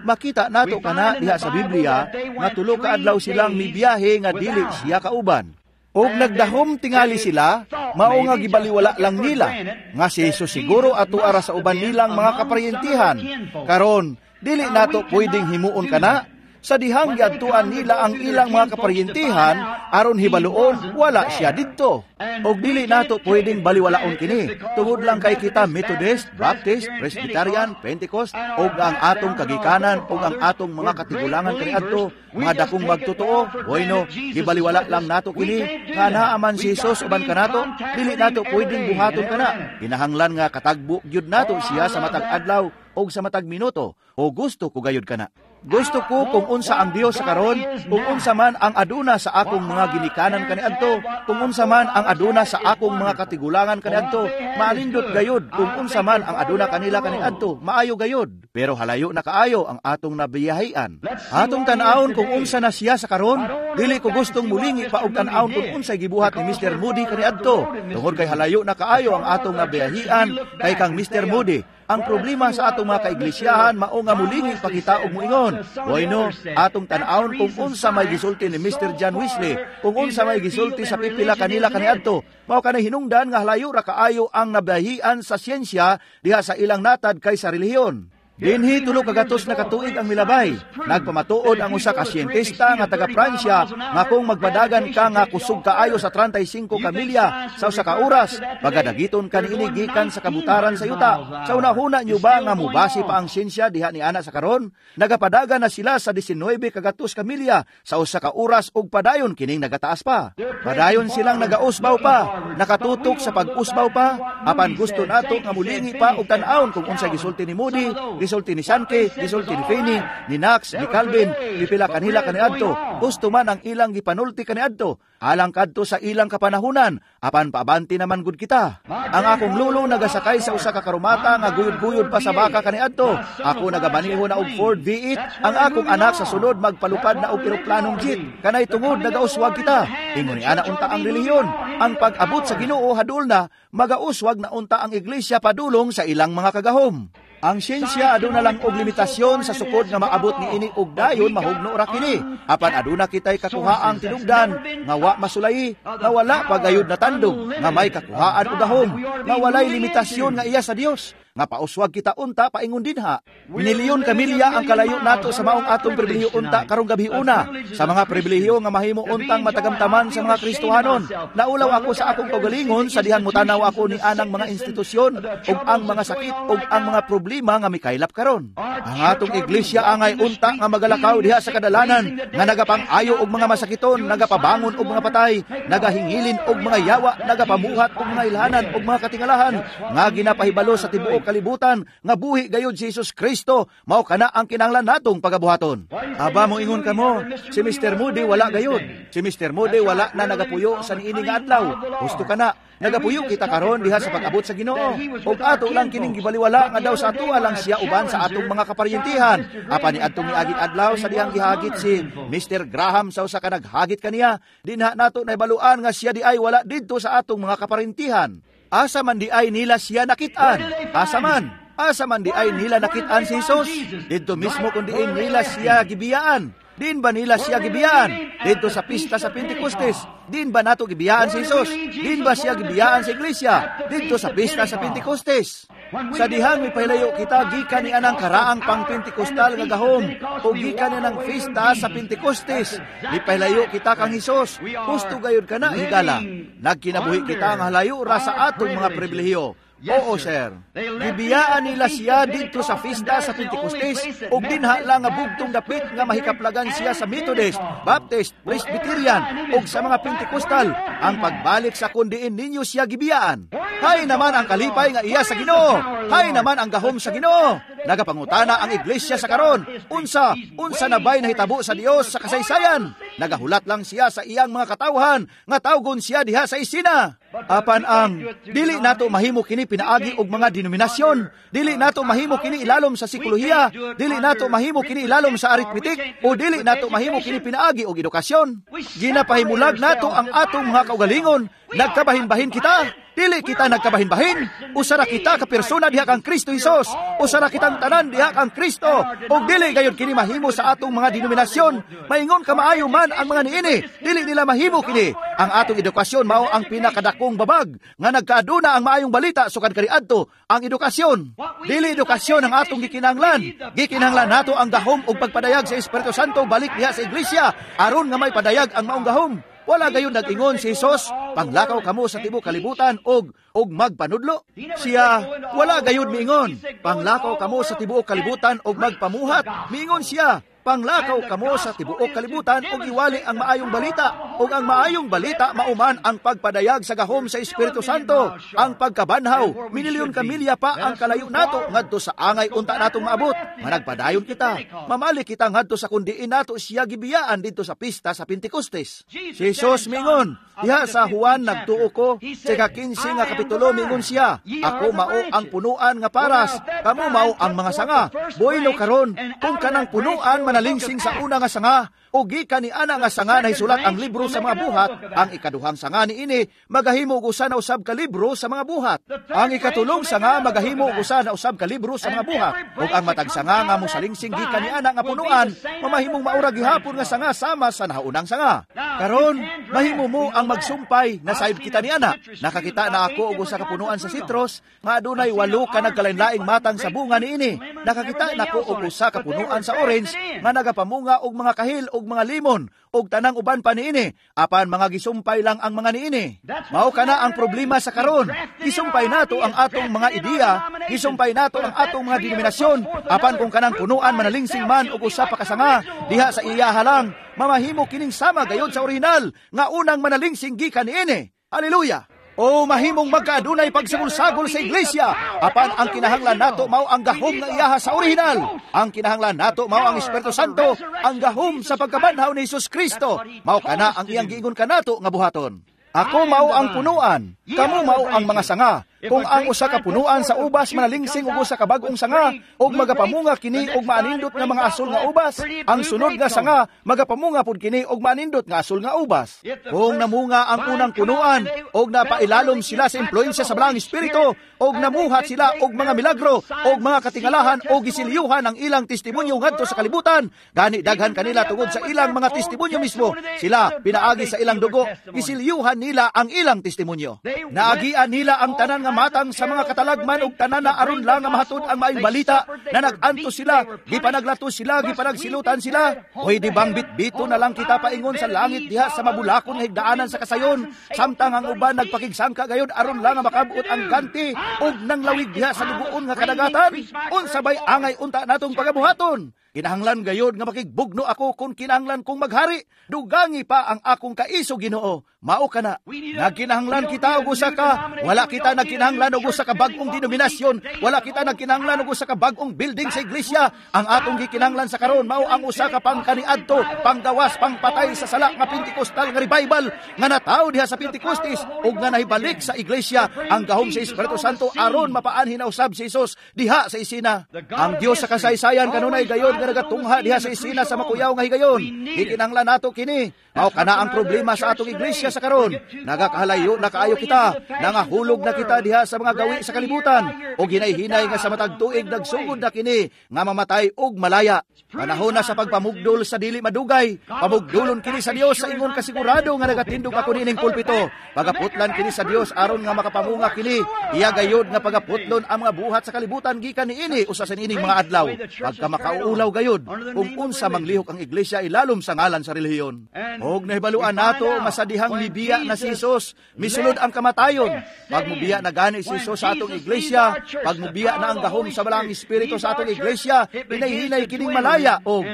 makita nato kana diha sa Biblia nga 3 ka adlaw silang mibiyahe nga dili siya kauban. Og nagdahom tingali sila, mao nga gibaliwala lang nila nga si Jesus siguro ato ara sa uban nilang mga kaparyentihan. Karon, dili nato pwedeng himuon kana. Sa dihang giadtuan nila ang ilang mga kaparyentihan aron hibaluon wala siya didto. Og dili nato pwedeng baliwalaon kini tungod lang kay kita Methodist, Baptist, Presbyterian, Pentecost og ang atong kagikanan og ang atong mga katigulangan kaniadto mga dakong magtotoo. Bueno, gibaliwala lang nato kini nga naa man si Jesus uban kanato, dili nato pwedeng buhaton kana. Kinahanglan nga katagbo gyud nato siya sa matag adlaw og sa matag minuto. O gusto ko gayud kana. Gusto ko kung unsa ang Dios sa karon, kung unsa man ang aduna sa akong mga ginikanan kaniadto, kung unsa man ang aduna sa akong mga katigulangan kaniadto, maalindot gayud kung unsa man ang aduna kanila kaniadto, maayo gayud. Pero halayo na kaayo ang atong nabiyahian. Atong tan-awon kung unsa na siya sa karon, dili ko gustong mulingi pa og tan-awon kung unsay gibuhat ni Mr. Moody kaniadto, tungod kay halayo na kaayo ang atong nabiyahian kay kang Mr. Moody. Ang problema sa atong mga kaiglesyahan mao nga mulingi pa kita og moingon, "Bueno, atong tan-awon kung unsa may gisulti ni Mr. John Wesley, kung unsa may gisulti sa pipila kanila kaniadto." Mao kanay hinungdan nga halayo ra kaayo ang nabahian sa siyensya diha sa ilang natad kaysa relihiyon. Dinhi 300 na katuig ang milabay. Nagpamatuod ang usa ka siyentista nga taga Pransya nga kung magpadagan ka nga kusog kaayo sa 35 ka milya sa usa ka oras, pagadagiton ka niini gikan sa kabutaran sa yuta. Sa unahuna nyo ba nga mubase pa ang siyensya diha ni ana sa karon? Nagapadagan na sila sa 19 kagatos ka milya sa usa ka oras ug padayon kining nagataas pa. Padayon silang nagausbaw pa, nakatutok sa pag-usbaw pa, apan gusto nato nga mulingi pa og tan-awon kung unsa gisulti ni Moody, Gisulti ni Sankey, gisulti ni Finney, ni Knox, ni Calvin, pipila kanila kaniadto. Husto man ang ilang gipanulti kaniadto. Alang kadto sa ilang kapanahunan, apan paabante naman gud kita. Ang akong lulo nagasakay sa usa ka karumata nga guyod-guyod pa sa baka kaniadto. Ako nagabaniho na og Ford V8. Ang akong anak sa sunod magpalupad na og eroplanong jet. Kanay tungod nagauswag kita. Ingon ni ana unta ang relihiyon. Ang pag-abot sa Ginoo hadol na, magauswag na unta ang iglesia padulong sa ilang mga kagahom. Ang siyensya aduna lang og limitasyon sa sukod nga maabot niini og dayon mahugno ra kini. Apan aduna kitay kakuhaang tinubdan nga wa masulayi, nga wala pa gayud natandog, nga may kakuhaan og gahom, nga walay limitasyon nga iya sa Dios, nga pauswag kita unta paingon dinha. Minilyon ka milya ang kalayo nato sa maong atong pribilehiyo unta karong gabi una, sa mga pribilehiyo nga mahimo untang matagamtaman sa mga Kristohanon. Naulaw ako sa akong kaugalingon sa dihang mutanaw ako ni anang mga institusyon ug ang mga sakit ug ang mga problema nga mikaylap karon. Ang atong iglesia angay unta nga magalakaw diha sa kadalanan nga nagapang-ayo og mga masakiton, nagapabangon og mga patay, nagahingilin og mga yawa, nagapamuhat og mga ilhanan og mga katingalahan nga ginapahibalo sa tibuok kalibutan nga buhi gayud si Jesus Kristo. Mao kana ang kinahanglan natong pagabuhaton. Aba, moingon kamo, si Mr. Moody wala gayud. Si Mr. Moody wala na nagapuyo sa niini nga adlaw. Husto kana, nagapuyo kita karon diha sa pag-abot sa Ginoo. Ug ato lang kining gibaliwala nga daw sa atoa lang siya uban sa atong mga kaparyentihan. Apan niadtong niaging adlaw sa dihang gihagit si Mr. Graham sa usa ka naghagit kaniya, dinha nato nahibaluan nga siya di ay wala didto sa atong mga kaparyentihan. Asa man di ay nila siya nakitaan? Asa man? Asa man di ay nila nakitaan si Jesus? Didto mismo kung diin nila siya gibiyaan. Din ba nila siya gibiyaan? Didto sa pista sa Pentecostes. Din ba nato gibiyaan si Jesus? Din ba siya gibiyaan sa iglesia? Didto sa pista sa Pentecostes. Sa dihang mipahilayo kita gikan ni anang karaang pang Pentecostal nga gahom o gikan ni anang pista sa Pentecostes. Mipahilayo kita kang Hesus. Husto gayud kana higala. Nagkinabuhi kita nga halayo ra sa atong mga pribilehiyo. Oo, sir. Gibiyaan nila siya didto sa pista sa Pentecostes ug dinha lang nga bugtong dapit nga mahikaplagan siya sa Methodist, Baptist, Presbyterian ug sa mga Pentecostal. Ang pagbalik sa kundiin ninyo siya gibiyaan. Hay naman ang kalipay nga iya sa Ginoo. Hay naman ang gahom sa Ginoo. Nagapangutana ang iglesia sa karon. Unsa, unsa na ba'y nahitabo sa Dios sa kasaysayan? Nagahulat lang siya sa iyang mga katawhan nga tawgon siya diha sa isina. Apan ang dili nato mahimo kini pinaagi og mga denominasyon, dili nato mahimo kini ilalom sa psikolohiya, dili nato mahimo kini ilalom sa arithmetic, o dili nato mahimo kini pinaagi og edukasyon. Ginapahimulag nato ang atong mga kaugalingon. Nagkabahin-bahin kita. Dili kita nagkabahin-bahin. Usara kita ka persona diha kang Kristo Hesus. Usara kitang tanan diha kang Kristo. Ug dili gayud kini mahimo sa atong mga denominasyon. Maingon ka maayo man ang mga niini, dili nila mahimo kini. Ang atong edukasyon mao ang pinakadakong babag nga nagkaaduna ang maayong balita sukad kaniadto ang edukasyon. Dili edukasyon ang atong gikinahanglan. Gikinahanglan nato ang gahom ug pagpadayag sa Espiritu Santo balik diha sa iglesia aron nga may padayag ang maong gahom. Wala gayon nag-ingon si Jesus, panglakaw kamo sa tibuok kalibutan og magpanudlo. Siya, wala gayon miingon, panglakaw kamo sa tibuok kalibutan og magpamuhat. Miingon siya, panglakaw kamo sa tibuok kalibutan og iwali ang maayong balita. Og ang maayong balita mauman ang pagpadayag sa gahom sa Espiritu Santo, ang pagkabanhaw. Minilyon ka milya pa ang kalayo nato ngadto sa angay unta natong maabot. Managpadayon kita, mamali kita ngadto sa kundiin nato siya gibiyaan didto sa pista sa Pentecostes. Si Jesus mingon, diha sa Juan nagtuo ko, sa 15 nga kapitulo mingon siya, ako mao ang punuan nga paras, kamo mao ang mga sanga. Bueno karon, kung kanang punuan manalingsing sa una nga sanga, o gikan ni ana nga sanga nahisulat ang libro sa mga buhat, ang ikaduhang sanga niini magahimo og usa na usab ka libro sa mga buhat. Ang ikatulong sanga magahimo og usa na usab ka libro sa mga buhat. Ug ang matag sanga nga mosalingsing gikan ni ana nga punuan, mamahimong maura gihapon nga sanga sama sa naunang sanga. Karon, mahimo mo ang magsumpay na saib kita ni ana. Nakakita na ako og usa ka punuan sa sitros nga adunay 8 ka nagkalain-laing matang sa bunga niini. Nakakita nako og usa ka punuan sa orange nga nagapamunga og mga kahil og mga limon og tanang uban pa niini, apan mga gisumpay lang ang mga niini. Mao kana ang problema sa karon. Gisumpay nato ang atong mga ideya, gisumpay nato ang atong mga denominasyon, apan kung kanang punuan manalingsing man og usa pa ka sanga diha sa iyaha lang, mamahimo kining sama gayod sa orihinal nga unang manalingsing gikan niini. Haleluya! O mahimong magkaadunay pagsagol-sagol sa iglesia, apan ang kinahanglan nato mao ang gahom nga iyaha sa orihinal. Ang kinahanglan nato mao ang Espiritu Santo, ang gahom sa pagkabanhaw ni Hesus Kristo. Mao kana ang iyang giingon kanato nga buhaton. Ako mao ang punuan, kamo mao ang mga sanga. Kung ang usa ka punuan sa ubas manalingsing og usa ka bag-ong sanga, ug magapamunga kini og maanindot nga mga asol nga ubas, ang sunod nga sanga magapamunga pud kini og maanindot nga asol nga ubas. Kung namunga ang unang punuan og napailalom sila sa impluwensya sa Balaang Espiritu, og namuhat sila og mga milagro og mga katingalahan og gisilyuhan ang ilang testimonyo ngadto sa kalibutan, gani daghan kanila tungod sa ilang mga testimonyo mismo, sila pinaagi sa ilang dugo, gisilyuhan nila ang ilang testimonyo. Naagian nila ang tanan nga matang sa mga katalagman og tanan na aron lang nga mahatod ang maayong balita, na nag-antos sila, gipanaglato sila, gipanagsilutan sila. Pwede bang bitbito na lang kita paingon sa langit diha sa mabulakon nga higdaanan sa kasayon, samtang ang uban nagpakigsangka gayod aron lang nga makabot ang ganti ug nanglawig diha sa dugoon nga kadagatan? Unsa bay angay unta natong pagabuhaton? Kinahanglan gayod nga makigbugno ako kung kinahanglan kong maghari. Dugangi pa ang akong kaiso, Ginoo. Mao kana. Nagkinahanglan kita og usa ka, wala kita nagkinahanglan og usa ka bag-ong denominasyon, wala kita nagkinahanglan og usa ka bag-ong building sa iglesia. Ang atong gikinahanglan sa karon mao ang usa ka pangkaniadto, panggawas, pangpatay sa sala nga Pentecostal nga revival nga natawo diha sa Pentecostes ug nga nahibalik sa iglesia ang gahom sa Espiritu Santo aron mapaanhin na usab si Jesus diha sa isina. Ang Dios sa kasaysayan kanunay gayod nga nagatungha diha sa isina sa makuyaw nga higayon. Gikinahanglan nato kini. Mao kana ang problema sa atong iglesia sa karon. Nagakahalayo na kaayo kita, nangahulog na kita diha sa mga gawi sa kalibutan, o hinay-hinay nga sa matag tuig nagsugod na kini nga mamatay og malaya. Panahon na sa pagpamugdol sa dili madugay. Pamugdolon kini sa Dios sa ingon kasigurado nga nagatindog ako niining pulpito. Pagaputlan kini sa Dios aron nga makapamunga kini. Iya gayod nga pagaputlon ang mga buhat sa kalibutan gikan niini usa sa niining mga adlaw. Pagka makauulaw gayod kung unsa manglihok ang iglesia ilalom sa ngalan sa relihiyon. Og nahibaluan nato masadihang mibiya na si Jesus, misulod ang kamatayon. Pag mubiya na gani si Jesus sa atong iglesia, pag mubiya na ang gahom sa Balaang Espiritu sa atong iglesia, hinay-hinay kining malaya og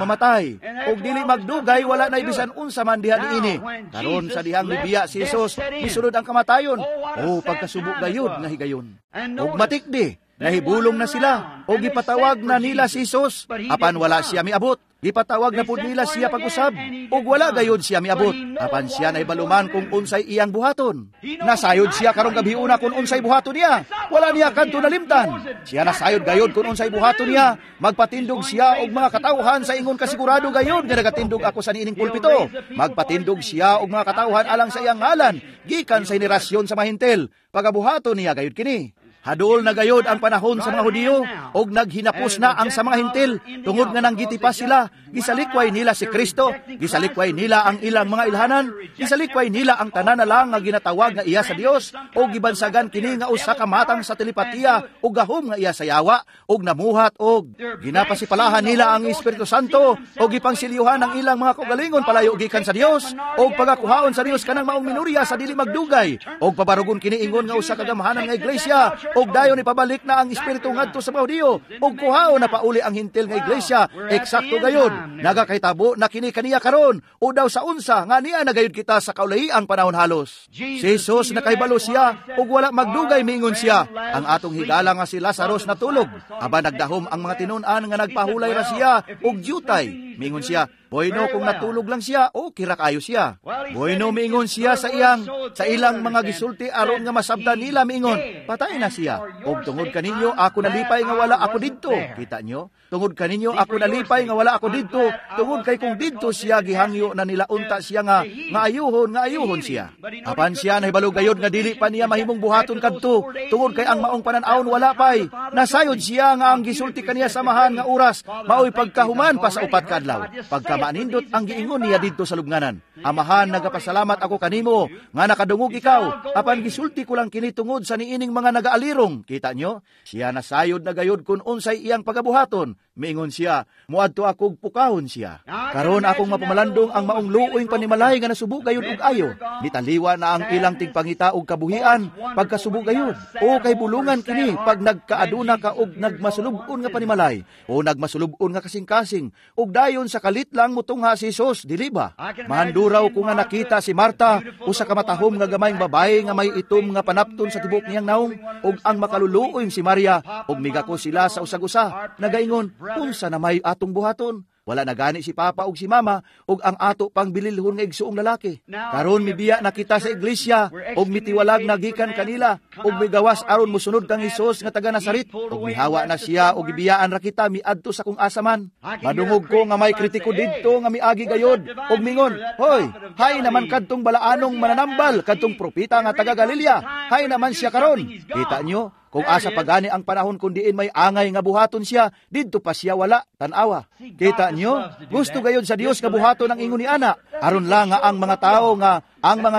mamatay. Og dili magdugay wala na ibisan unsa man diha niini. Karon sa dihang mibiya si Jesus, misulod ang kamatayon. O pagkasubo gayud nga higayon. Og matikdi, nahibulong na sila, o gipatawag na nila si Jesus, apan wala siya miabot. Gipatawag na pud nila siya pag-usab, ug wala gayud siya miabot. Apan siya nahibaluman kung unsay iyang buhaton. Nasayod siya karong gabiuna kung unsay buhaton niya. Wala niya kadto nalimtan. Siya nasayod gayud kung unsay buhaton niya. Magpatindog siya og mga katawhan sa ingon kasigurado gayud nga nagatindog ako sa niining pulpito. Magpatindog siya og mga katawhan alang sa iyang ngalan, gikan sa henerasyon sa mahintel. Pagabuhaton niya gayud kini. Hadol na gayod ang panahon sa mga Hudiyo, og naghinapos na ang sa mga Hintil, tungod nga nanggitipa sila, gisalikway nila si Kristo, gisalikway nila ang ilang mga ilhanan, gisalikway nila ang tanan na lang nga ginatawag nga iya sa Dios, og gibansagan kini nga usa ka matang sa telepatiya, og gahom nga iya sa yawa, og namuhat og ginapasipalahan nila ang Espiritu Santo, og gipangsilyuhan ang ilang mga kaugalingon palayo gikan sa Dios, og pagakuhaon sa Dios kanang maong minurya sa dili magdugay, og pabarugon kini ingon nga usa ka gamhanan nga iglesia, og dayon ipabalik na ang espiritu ngadto sa mga Hudiyo, og kuhaon na pauli ang hintil nga iglesia. Eksakto gayod, nagakahitabo na kini kaniya karon, o daw sa unsa nga niya nagayod kita sa kaulahiang panahon halos. Si Jesus nakahibalo siya, og wala magdugay miingon siya, ang atong higala nga si Lazarus natulog, aban nagdahom ang mga tinun-an nga nagpahulay ra siya og dyutay. Miingon siya, bueno kung natulog lang siya, o kira kayo siya. Bueno miingon siya sa ilang mga gisulti aron nga masabtan nila miingon, patay na siya. Og tungod kaninyo ako nalipay nga wala ako didto. Kita nyo? Tungod kaninyo ako nalipay nga wala ako didto, tungod kay kung didto siya gihangyo na nila unta siya nga ngaayuhon siya. Apan siya nahibalo gayod nga dili pa niya mahimong buhaton kadto, tungod kay ang maong panan-awon wala pay. Nasayod siya nga ang gisulti kaniya samahan nga oras maoy pagkahuman pa sa upat ka adlaw. Pagkamanindot ang giingon niya didto sa lubnganan. Amahan, nagapasalamat ako kanimo nga nakadungog ikaw, apan gisulti ko lang kini tungod sa niining mga nagaalirong. Kita nyo? Siya nasayod na gayod kung unsay iyang pagabuhaton. Miingon siya, muadto ako ug pukahon siya. Karon akong mapamalandong ang maong luoy panimalay nga nasubo gayud og ayo. Nitaliwa na ang ilang tigpangita og kabuhian pagkasubo gayud. O kay bulungan kini pag nagkaaduna ka og nagmasulub-on nga panimalay o nagmasulub-on nga kasing-kasing ug dayon sa kalit lang mutungha si Jesus, dili ba? Mahanduraw ko nga nakita si Marta, usa ka matahom nga gamayng babae nga may itom nga panapton sa tibok niyang naong, ug ang makaluluoy si Maria, ug migako sila sa usag-usa. Nagaingon, unsa na may atong buhaton? Wala na gani si Papa ug si Mama ug ang ato pang bililhon nga igsuong lalaki. Karon mibiya na kita sa iglesia ug mitiwalag na gikan kanila ug migawas aron mosunod kang Hesus nga taga Nazaret, ug mihawa na siya ug gibiyaan ra kita miadto sa kung asa man. Madungog ko nga may kritiko didto nga miagi gayod ug mingon, hoy, hay naman kadtong balaanong mananambal, kadtong propeta nga taga Galilea, hay naman siya karon. Kita nyo, kung asa pagani ang panahon kun diin may angay nga buhaton siya, didto pa siya wala, tan-awa. Kita nyo, gusto gayod sa Dios nga buhaton ang ingon ni ana, aron lang nga ang mga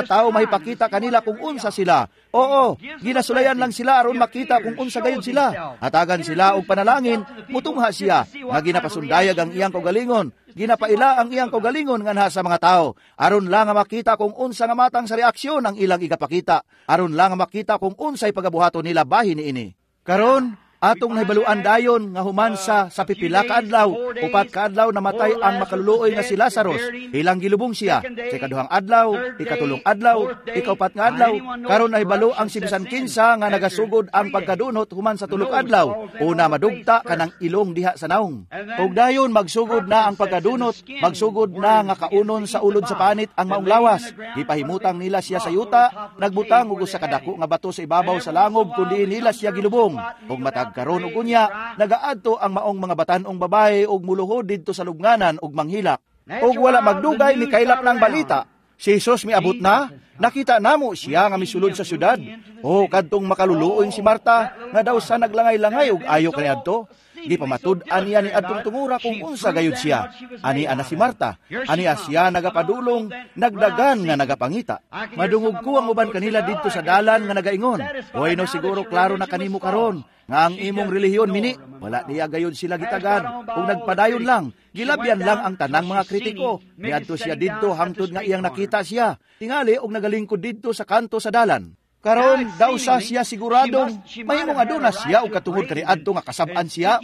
tao mahipakita kanila kung unsa sila. Oo, ginasulayan lang sila aron makita kung unsa gayod sila. Hatagan sila og panalangin, mutungha siya nga ginapasundayag ang iyang kaugalingon. Ginapaila ang iyang kaugalingon nganha sa mga tao, aron lang nga makita kung unsa nga matang sa reaksyon ang ilang igapakita, aron lang nga makita kung unsay pagabuhaton nila bahin niini. Karon atong nahibaluan dayon nga human sa pipila ka adlaw, 4 ka adlaw namatay ang makaluluoy nga si Lazarus. Ilang gilubong siya sa ikaduhang adlaw, ikatulong adlaw, ikaupat nga adlaw. Karon nahibalo ang si bisan kinsa nga nagasugod ang pagkadunot human sa 3 ka adlaw. Una madugta kanang ilong diha sa naong. Ug dayon magsugod na ang pagkadunot, magsugod na nga kaunon sa ulod sa panit ang maong lawas. Gipahimutang nila siya sa yuta, nagbutang og usa ka dako nga bato sa ibabaw sa langob kundi nila siya gilubong. Ug matag karon og unya, nagaadto ang maong mga batan-ong babae og muluhod didto sa lubnganan og manghilak. Og wala magdugay mikaylap ng balita. Si Jesus miabot na, nakita namo siya nga misulod sa syudad. O kadtong makaluluoy si Marta nga daw sa naglangay-langay og ayo kaniadto. Gipamatud-an niya ni adtong tungura kung unsa gayud siya. Ani ana si Marta, ani siya nagapadulong, nagdagan nga nagapangita. Madungog ko ang uban kanila didto sa dalan nga nagaingon, "Hoy no, siguro klaro na kanimo karon nga ang imong relihiyon mini." Wala niya gayud sila gitagad ug nagpadayon lang. Gilabyan lang ang tanang mga kritiko. Miadto siya didto hangtod nga iyang nakita siya. Tingali og nagalingkod didto sa kanto sa dalan. Karon daw sa siya siguradong mahimong aduna siya og katungod kaniadto nga kasab-an siya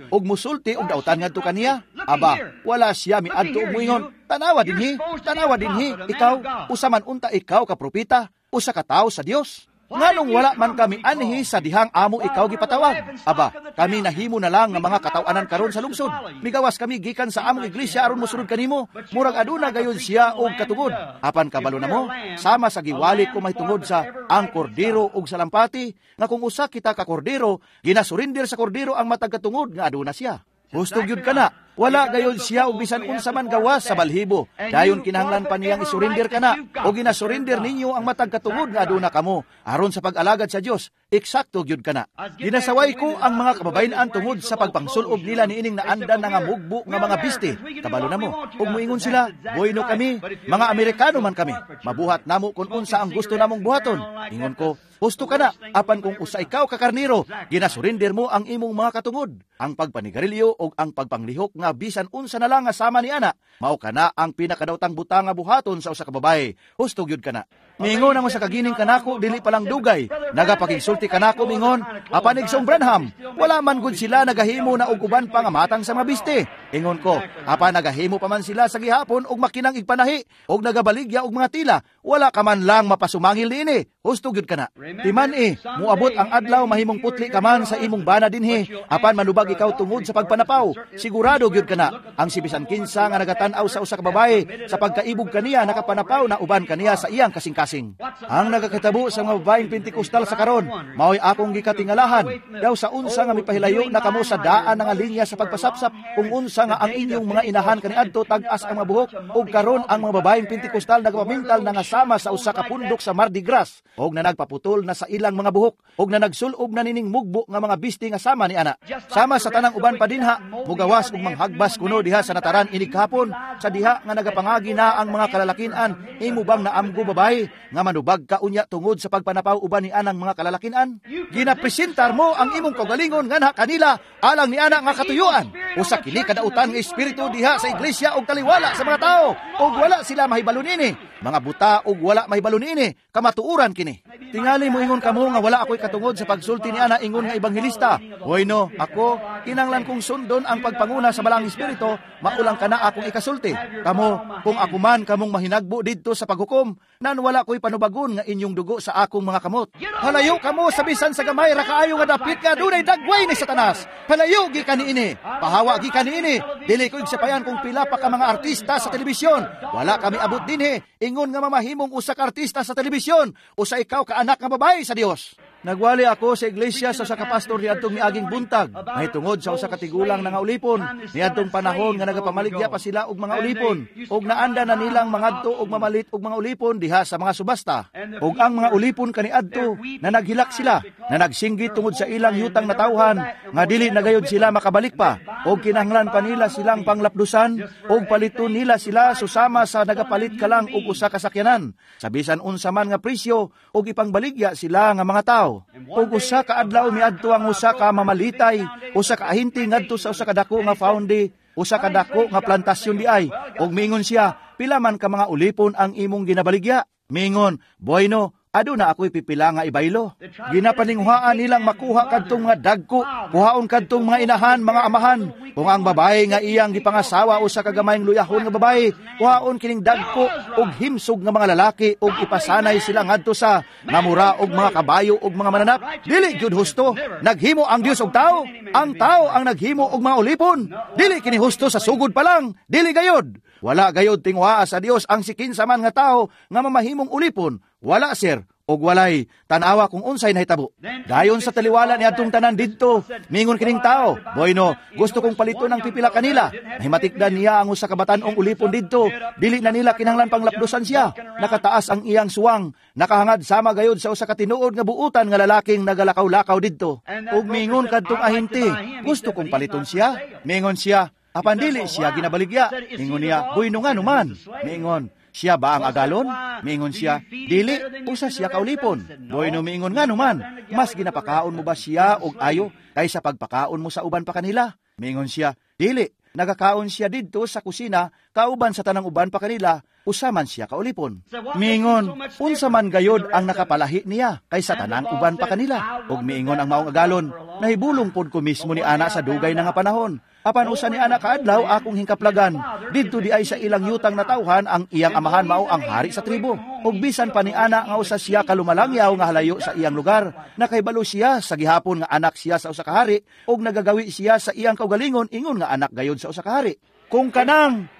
og musulti og dautan ngadto kaniya. Aba, wala siya miadto og moingon, "Tanawa dinhi, tanawa dinhi, ikaw, usa man unta ikaw ka propeta, usa ka tawo sa Dios. Nganong wala man kami anhi sa dihang amo ikaw gipatawag? Aba, kami nahimo na lang nga mga kataw-anan karon sa lungsod. Migawas kami gikan sa among iglesia aron mosunod kanimo. Murag aduna gayon siya og katungod. Apan kabalo na mo, sama sa giwali ko mahitungod sa ang kordero og salampati, nga kung usa kita ka kordero, ginasurinder sa kordero ang matag katungod nga aduna siya. Husto gyud kana. Wala gayon siya og bisan unsa man gawas sa balhibo. Dayon kinahanglan pa niyang isurinder kana o ginasurinder ninyo ang matag katungod nga aduna kamo aron sa pag-alagad sa Dios. Eksakto gyud kana. Ginasaway ko ang mga kababayen-an tungod sa pagpangsulob nila niining naandan na nga mugbo nga mga biste. Kabalo na mo. Ug moingon sila, "Bueno kami, mga Amerikano man kami. Mabuhat namo kung unsa ang gusto namong buhaton." Ingon ko, husto ka na, apan kung usa ikaw ka karniro, ginasurinder mo ang imong mga katungod. Ang pagpanigarilyo o ang pagpanglihok nga bisan unsa na lang nga sama ni ana, mao kana ang pinakadaotang butang nga buhaton sa usa ka babae. Husto gyud kana. Mingon ang usa ka gining kanako dili pa lang dugay. Nagapakigsulti kanako mingon, apan igsoong Branham, wala man gud sila nagahimo na og uban pa nga matang sa mga biste. Ingon ko, apan nagahimo pa man sila sa gihapon og makinang igpanahi og nagabaligya og mga tila, wala ka man lang mapasumangil niini. Husto gyud kana. Timan muabot ang adlaw mahimong putli ka man sa imong bana dinhi, apan manubag ikaw tungod sa pagpanapaw. Sigurado gyud kana. Ang si bisan kinsa nga nagatan-aw sa usa ka babae sa pagkaibog kaniya nakapanapaw na uban kaniya sa iyang kasing-kasing. Ang nagakatabo sa mga babaeng Pentikostal sa karon, mao'y akong gikatingalahan. Daw sa unsa nga mipahilayo na kamo sa daan nga linya sa pagpasapsap, kung unsa nga ang inyong mga inahan kaniadto tag-as ang mga buhok, ug karon ang mga babaeng Pentikostal nagapamintal na nga sama sa usa ka pundok sa Mardi Gras, og na nagpaputol na sa ilang mga buhok, og na nagsulob na nining mugbo nga mga bisti nga sama ni ana. Sama sa tanang uban pa dinha, mugawas ug manghag Hagbas kuno diha sa nataran inig kahapon, sa diha nga nagapangagi na ang mga kalalakinan, imo bang naamgo, babae, nga manubag ka unya tungod sa pagpanapaw uban ni anang mga kalalakinan? Ginapresentar mo ang imong kaugalingon nganha kanila alang ni ana nga katuyuan. Usa kini kadautan nga espiritu diha sa iglesia og taliwala sa mga tao, og wala sila mahibalo niini. Mga buta og wala mahibalo niini, kamatuoran kini. Tingali moingon kamo nga wala ako'y katungod sa pagsulti ni ana ingon nga ebanghelista. Hoy no, ako kinanglan kong sundon ang pagpanguna sa Balaang Espiritu, maulang kana akong ikasulti. Kamo, kung ako man kamong mahinagbo didto sa paghukom, nan wala ko'y panubagon nga inyong dugo sa akong mga kamot. Palayo kamo sa bisan sa gamay ra kaayo nga dapit nga dunay dagway ni Satanas. Palayo gikan niini, pahawa gikan niini. Dili ko igsapayan kung pila pa ka mga artista sa telebisyon. Wala kami abot dinhi ingon nga mamahimong usa ka artista sa telebisyon, usa ikaw ka anak nga babae sa Dios. Nagwali ako sa iglesia sa usa ka pastor niadtong miaging buntag, mahitungod sa usa ka tigulang na nga ulipon, niadtong panahon nga nagapamaligya pa sila og mga ulipon, og naanda na nilang mangadto og mamalit og mga ulipon diha sa mga subasta. Og ang mga ulipon kaniadto na naghilak sila, na nagsinggit tungod sa ilang yutang natawhan, nga dili na gayud sila makabalik pa, og kinahanglan pa nila silang panglapdusan, og paliton nila sila susama sa nagapalit ka lang og usa ka sakyanan, sa bisan unsa man nga presyo, og ipangbaligya sila nga mga tawo. Ug usa ka adlaw miadto ang usa ka mamalitay, usa ka ahinti ngadto sa usa ka dako nga foundy, usa ka dako nga plantasyon di ay. Ug miingon siya, pila man ka mga ulipon ang imong ginabaligya? Miingon, bueno, aduna ako'y pipila nga ibaylo. Ginapaninghuhaan nilang makuha kadtong mga dagko, kuhaon kadtong mga inahan, mga amahan. Kung ang babae nga iyang gipangasawa usa ka gamayng luyahon nga babae, kuhaon kining dagko og himsog nga mga lalaki og ipasanay sila ngadto sa ngamura og mga kabayo og mga mananap. Dili gyud husto. Naghimo ang Dios og tao, ang tao ang naghimo og mga ulipon. Dili kini husto sa sugod pa lang, dili gayod. Wala gayod tinguhaa sa Dios ang sikinsa man nga tao nga mamahimong ulipon. Wala, sir, og walay. Tanawa kung unsay nahitabo. Dayon sa taliwala ni adtong tanan didto, mingon kining tao, bueno, gusto kong paliton ang pipila kanila. Nahimatikdan niya ang usa ka batan-ong ulipon didto. Dili na nila kinahanglan panglapdusan siya. Nakataas ang iyang suwang, nakahangad sama gayod sa usa ka tinuod nga buutan nga lalaking nagalakaw-lakaw didto. Ug mingon kadtong ahinti, gusto kong paliton siya. Mingon siya, apan dili siya ginabaligya. Mingon niya, bueno nga numan. Mingon, siya ba ang agalon? Miingon siya, dili, usa siya kaulipon. Bueno, miingon nga numan, mas ginapakaon mo ba siya og ayo kaysa pagpakaon mo sa uban pa kanila? Miingon siya, dili, nagakaon siya didto sa kusina, kauban sa tanang uban pa kanila, usa man siya kaulipon. Miingon, unsa man gayod ang nakapalahi niya kaysa tanang uban pa kanila? Og miingon ang maong agalon, nahibulong pod ko mismo ni ana sa dugay na nga panahon. Apan usa ni ana kaadlaw akong hingkaplagan. Didto di ay sa ilang yutang natawhan ang iyang amahan mao ang hari sa tribo. Ug bisan pa ni ana nga usa siya kalumalangyaw nga halayo sa iyang lugar, nakahibalo siya sa gihapon nga anak siya sa usa ka hari, ug nagagawi siya sa iyang kaugalingon ingon nga anak gayod sa usa ka hari.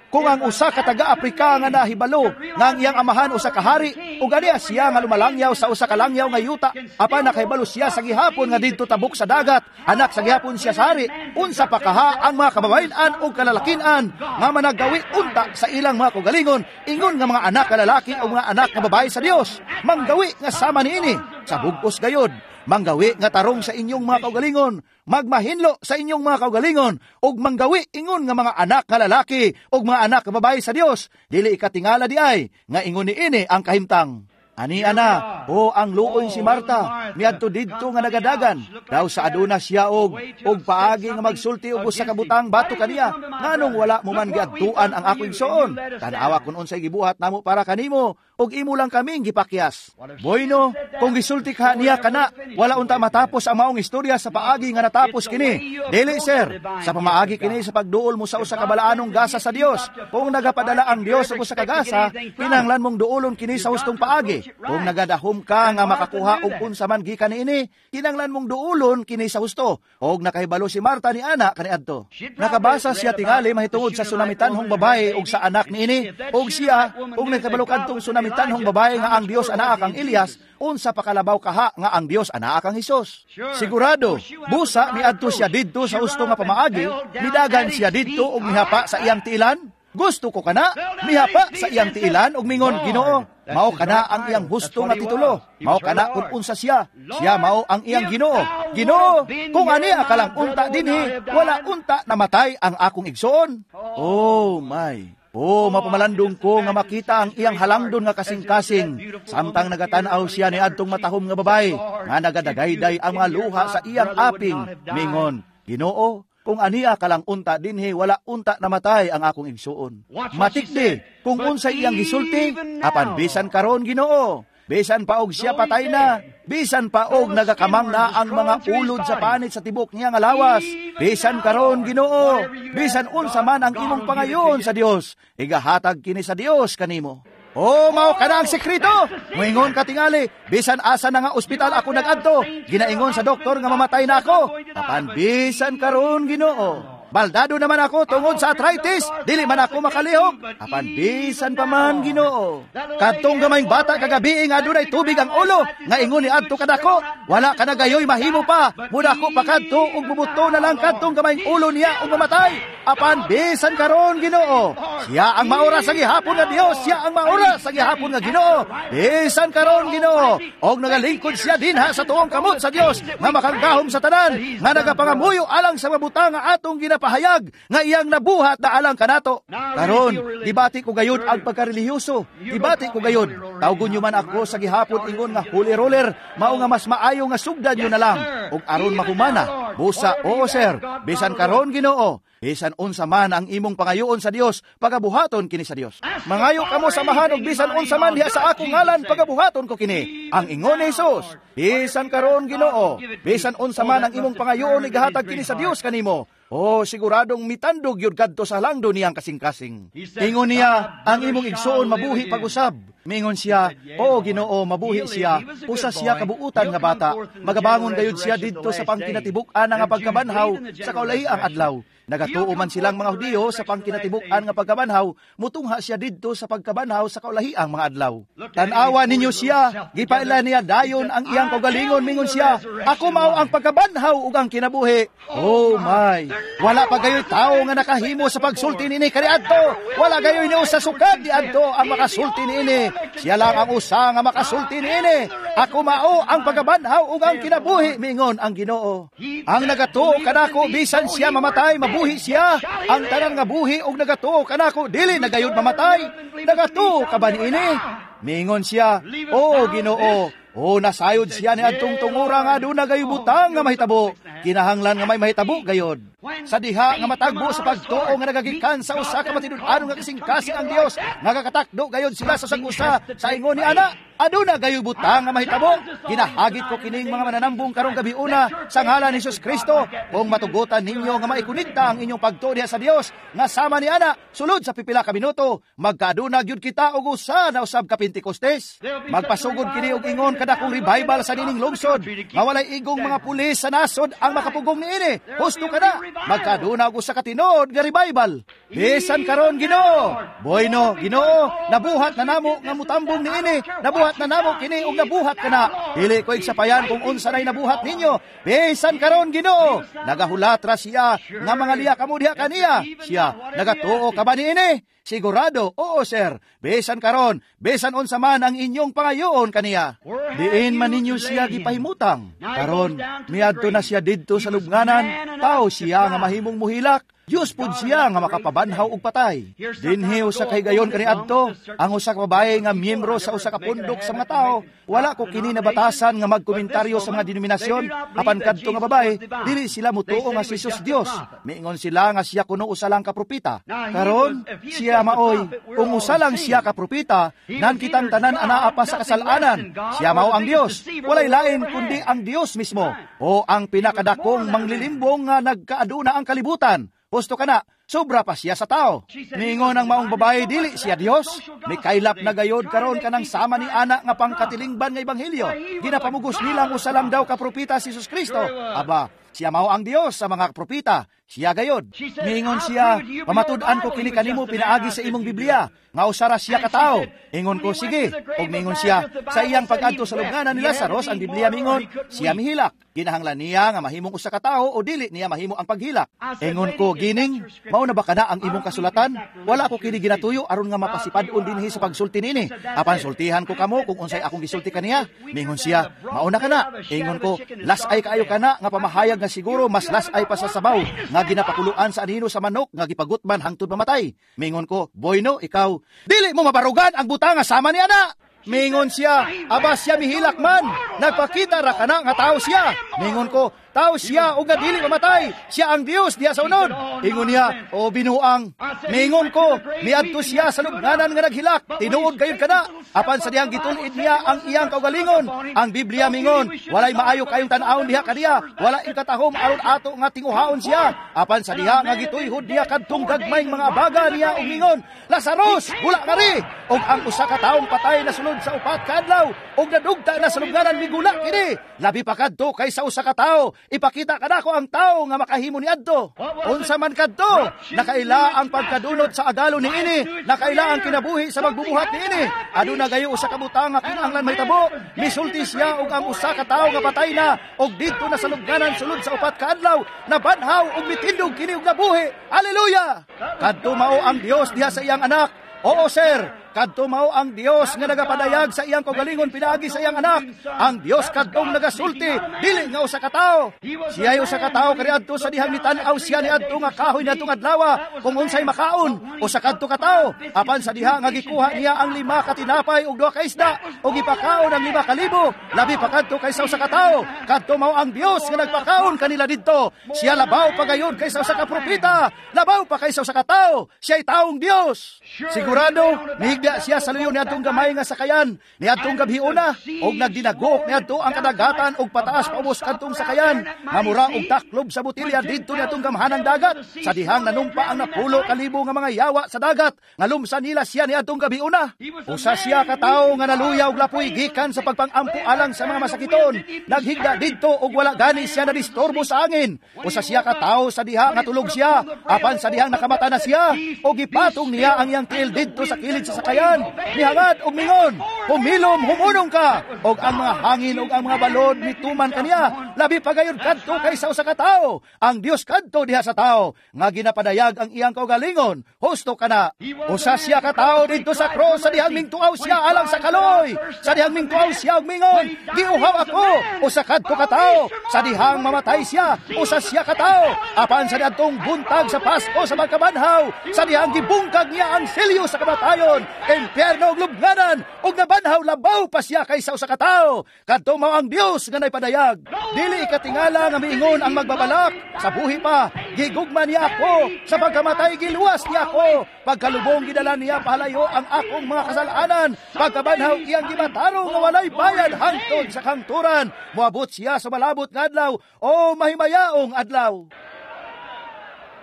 Kung ang usa ka taga-Aprika nga nahibalo nga ang iyang amahan usa ka hari, ug aniya siya nga lumalangyaw sa usa ka langyaw nga yuta, apan nakahibalo siya sa gihapon nga didto tabok sa dagat, anak sa gihapon siya sa hari, unsa pa kaha ang mga kababayen-an ug kalalakin-an nga managawi unta sa ilang mga kaugalingon ingon nga mga anak nga lalaki o mga anak nga babae sa Dios, manggawi nga sama niini sa bugos gayod, manggawi nga tarong sa inyong mga kaugalingon, magmahinlo sa inyong mga kaugalingon, ug manggawi ingon nga mga anak nga lalaki ug mga anak nga babae sa Dios, dili ikatingala di ay nga ingon niini ang kahimtang. Ani ana, o ang luoy si Marta, miadto didto nga nagadagan, daw sa aduna siya og paagi nga magsulti og usa ka butang bato kaniya, nganong wala mo man giadtuan ang akong igsoon. Tan-awa kun unsay gibuhat namo para kanimo, og imo lang kaming gipakyas. Bueno, kung gisulti ka niya kana, wala unta matapos ang maong istorya sa paagi nga natapos kini. Dili, sir, sa pamaagi kini sa pagduol mo sa usa ka balaanong gasa sa Dios. Kung nagapadala ang Dios og usa ka gasa, kinahanglan mong duolon kini sa hustong paagi. Kung nagadahom ka nga makakuha og unsa man gikan niini, kinahanglan mong duolon kini sa husto. Og nakahibalo si Marta ni ana kaniadto. Nakabasa siya tingali mahitungod sa sunamitanhong babae og sa anak niini, og siya og nakahibalo kadtong sunamitanhong babae nga ang Dios anaa kang Elias, unsa pakalabaw kaha nga ang Dios anaa kang Hesus. Sigurado, busa miadto siya didto sa husto nga pamaagi, midagan siya didto og mihapa sa iyang tiilan. Gusto ko kana. Mihapa sa iyang tiilan og mingon, Ginoo, mao kana ang iyang husto nga titulo. Mao kana kung unsa siya. Siya mao ang iyang Ginoo. Ginoo, kung aniya ka lang unta dinhi, wala unta namatay ang akong igsoon. Oh my. Oh, mapamalandong ko nga makita ang iyang halangdon nga kasing-kasing. Samtang nagatanaw siya ni adtong matahom nga babae, nga nagadagayday ang mga luha sa iyang aping. Mingon, Ginoo, kung aniya ka lang unta dinhi, wala unta namatay ang akong igsuon. Matikdi, kung unsa iyang gisulti, apan bisan karon Ginoo, bisan pa og siya patay na, bisan pa og nagakamang na ang mga ulod sa panit sa tibok niya nga lawas, bisan karon Ginoo, bisan unsa man ang imong pangayon sa Dios, igahatag kini sa Dios kanimo. Oh, mao kana ang sekreto. Moingon ka tingali, bisan asa na nga ospital ako nagadto, ginaingon sa doktor nga mamatay na ako. Apan bisan karon Ginoo, baldado naman ako tungod sa arthritis, dili man ako makalihok. Apan bisan pa man Ginoo. Kadtong gamayng bata kagabi nga adunay tubig ang ulo, nga ingon ni adto kadako, wala ka na gayoy mahimo pa, mudako pa kadto ug bubuto na lang kadtong gamayng ulo niya ug mamatay. Apan bisan karon Ginoo, siya ang maura sa gihapon nga Dios, siya ang maura sa gihapon nga Ginoo. Bisan karon Ginoo, og nagalingkod siya dinha sa tuong kamot sa Dios nga makanggahom sa tanan, nga nagapangamuyo alang sa mabutang nga atong ginapahayag nga iyang nabuhat na alang kanato. Karon, gibati ko gayud ang pagkarelihiyoso. Gibati ko gayud. Tawgon nyo man ako sa gihapon ingon nga holy roller, mao nga mas maayo nga sugdan nyo na lang og aron mahumana. Busa, oo sir, bisan karon Ginoo, bisan unsa man ang imong pangayoon sa Dios, pagabuhaton kini sa Dios. Mangayo kamo samahan og bisan unsa man diha sa akong ngalan, pagabuhaton ko kini. Ang ingon ni Jesus, bisan karon Ginoo, bisan unsa man ang imong pangayoon, igahatag kini sa Dios kanimo. Oh, siguradong mitandog yun kadto sa langdo niyang kasing-kasing. Ingon niya, ang imong igsoon mabuhi pag-usab. Mingon siya, oo Ginoo, mabuhi siya. Usa siya kabuutan nga bata. Magabangon gayud siya didto sa pangkinatibuk-an nga pagkabanhaw sa kaulahiang adlaw. Nagatuo man silang mga Hudiyo sa pangkinatibuk-an nga pagkabanhaw, mutungha siya didto sa pagkabanhaw sa kaulahiang mga adlaw. Tan-awa ninyo siya, gipaila niya dayon ang iyang kaugalingon, mingon siya, ako mao ang pagkabanhaw ug ang kinabuhi. Oh my! Wala pa gayoy tao nga nakahimo sa pagsulti niini kaniadto. Wala gayoy ni usa sukad niadto ang makasulti niini. Siya lang ang usa nga makasulti niini. Ako mao ang pagkabanhaw ug ang kinabuhi, mingon ang Ginoo. Ang nagatuo kanako bisan siya mamatay, mabuhi siya. Ang tanan nga buhi og nagatuo kanako dili na gayud mamatay. Nagatuo ka ba niini? Mingon siya, oo Ginoo. O nasayod siya ni adtong tungura nga aduna gayo butang nga mahitabo. Kinahanglan nga may mahitabo gayod. Sa diha nga matagbo sa pagtuo nga nagagikan sa usa ka matinud-anon nga kasing-kasing ang Dios, nagakatakdo gayod sila sa sag-usa sa ingon ni ana, aduna gayo butang nga mahitabo. Ginahagit ko kining mga mananambong karong gabi una sa ngalan ni Jesus Kristo, kung matugutan ninyo nga maikonekta ang inyong pagtuo diha sa Dios nga sama ni ana sulod sa pipila ka minuto, magkaaduna gyud kita og usa na usab ka Pentecostes. Magpasugod kini og ingon kadakong revival sa nining lungsod, nga walay igong mga pulis sa nasod ang makapugong niini. Husto ka na, magkaaduna og usa ka tinuod nga revival. Bisan karon Ginoo, bueno Ginoo, nabuhat na namo nga mutambong niini, nabuhat na namo kini og nabuhat kana. Dili ko igsapayan kung unsa nay nabuhat ninyo. Bisan karon Ginoo, nagahulat ra siya nga mga liya kamo diha kaniya. Siya nagatuo ka ba niini? Sigurado, oo sir. Bisan karon, bisan unsa man ang inyong pangayoon kaniya. Diin man ninyo siya gipahimutang. Karon, miadto na siya didto sa lubnganan, tao siya nga mahimong muhilak. Diyos pud siya nga makapabanhaw og patay. Dinhi usa kay gayon kaniadto ang usa ka babae nga miyembro sa usa ka pundok sa mga tao. Wala ko kini nabatasan nga magkomentaryo sa mga denominasyon apan kadto nga babae dili sila mutuo nga si Jesus Dios. Miingon sila nga siya kuno usa lang ka propeta. Karon siya maoy kung usa lang siya ka propeta, nan kitang tanan anaa pa sa kasalanan. Siya mao ang Dios. Walay lain kundi ang Dios mismo o ang pinakadakong manglilimbong nga nagkaaduna ang kalibutan. Husto ka na, sobra pa siya sa tao. Niingon ang maong babae, dili siya Dios. Mikaylap na gayod karon kanang sama ni ana nga pangkatilingban nga ebanghelyo. Ginapamugos nilang usa lang daw ka propeta si Jesus Kristo. Aba, siya mao ang Dios sa mga propeta. Siya gayod. Niingon siya, pamatud-an ko kini kanimo pinaagi sa imong Biblia, nga usara siya ka tawo. Ingon ko, sige. Og niingon siya, sa iyang pag-adto sa lubnganan ni Lazarus, ang Biblia mingon, siya mihilak. Ginahanglan niya nga mahimong usa ka tawo o dili niya mahimo ang paghilak. Ingon ko, gining, Mao na ba kana ang imong kasulatan? Wala ko kini ginatuyo aron nga mapasipad-on dinhi sa pagsulti niini. Apan sultihan ko kamo kung unsay akong gisulti kaniya. Mingon siya, mao na kana. Ingon ko, las-ay kaayo kana nga pamahayag nga siguro mas las-ay pa sa sabaw nga ginapakuluan sa anino sa manok nga gipagutman hangtod mamatay. Mingon ko, boyno ikaw, dili mo mabarugan ang butang nga sama ni ana. Mingon siya, aba siya mihilak man. Nagpakita ra kana nga tao siya. Mingon ko, tao siya ug dili mamatay. Siya ang Dios diha sa unod. Ingon niya, o binuang. Mingon ko, miadto siya sa lubnganan nga naghilak. Tinuod gayud kana. Apan sa dihang gitul-id niya ang iyang kaugalingon. Ang Biblia mingon, walay maayo kayong tan-awon diha kaniya. Wala ikatahom aron ato nga tinguhaon siya. Apan sa diha nga gituyhod niya kadtong gagmayng mga baga niya ug mingon, Lazarus, bula kari. Og ang usa ka taong patay na sulod sa 4 ka adlaw ug nadugta na sa lubnganan migula kini. Labi pa kadto kaysa usa ka tawo. Ipakita kanako ang tawo nga makahimo niadto. Unsa man kadto, nakaila ang pagkadunot sa agalo niini, nakaila ang kinabuhi sa magbubuhat niini. Aduna gayo usa ka butang nga kinahanglan mahitabo. Misulti siya og ang usa ka tawo nga patay na og didto na sa lubnganan sulod sa 4 ka adlaw, nabanhaw og mitindog kini og nabuhi. Haleluya! Kadto mao ang Dios diha sa iyang anak. Oo sir, kadto mao ang Dios nga nagapadayag sa iyang kaugalingon pinaagi sa iyang anak. Ang Dios kadtong nagasulti, dili nga usa ka tawo. Siya'y usa ka tawo kaniadto sa dihang nitan-aw siya niadto nga kahoy niadtong adlaw kung unsay makaon, usa kadto ka tawo. Apan sa diha nga gikuha niya ang 5 ka tinapay ug 2 ka isda ug gipakaon ang 5,000, labi pa kadto kaysa usa ka tawo. Kadto mao ang Dios nga nagpakaon kanila didto. Siya labaw pa gayon kaysa usa ka propeta, labaw pa kaysa usa ka tawo. Siya'y taong Dios. Sigurado mihigda siya sa luyo niadtong gamay nga sakayan niadtong gabhiuna og nagdinagok niadto ang kadagatan og pataas paubos kadtong sakayan nga mura og taklob sa botelya didto niadtong gamhanang dagat. Sa dihang nanumpa ang napulo kalibo nga mga yawa sa dagat nga lumsa nila siya niadtong gabhiuna. Usa siya ka tawo nga naluya og lapoy gikan sa pagpangampo alang sa mga masakiton. Naghigda didto og wala gani siya nadisturbo sa angin. Usa siya ka tawo sa diha nga tulog siya, apan sa dihang nakamata na siya og gipatong niya ang iyang tiil didto sa kilid sa sakayan. Mihangad og mingon, humilom, humunong ka, og ang mga hangin og ang mga balod mituman kaniya. Labi pa gayon kadto kaysa usa ka tawo. Ang Dios kadto diha sa tawo nga ginapadayag ang iyang kaugalingon. Husto kana. Usa siya ka tawo didto sa cross sa dihang mingtuaw siya alang sa kaloy. Sa dihang mingtuaw siya og mingon, giuhaw ako. Usa kadto ka tawo. Sa dihang mamatay siya, usa siya ka tawo. Apan sa diadtong buntag sa Pasko sa magkabanhaw, sa dihang gibungkag niya ang selyo sa kamatayon, impyerno ug lubnganan, ug nabanhaw labaw pa siya kaysa usa ka tawo. Kadto mao ang Dios nga naipadayag. Dili ikatingala nga miingon ang magbabalak sa buhi pa, gigugma niya ako, sa pagkamatay giluwas niya ako, pagkalubong gidala niya pahalayo ang akong mga kasalanan, pagkabanhaw iyang gimatarong nga walay bayad hangtod sa kangturan. Moabot siya sa malabot nga adlaw o mahimayaong adlaw.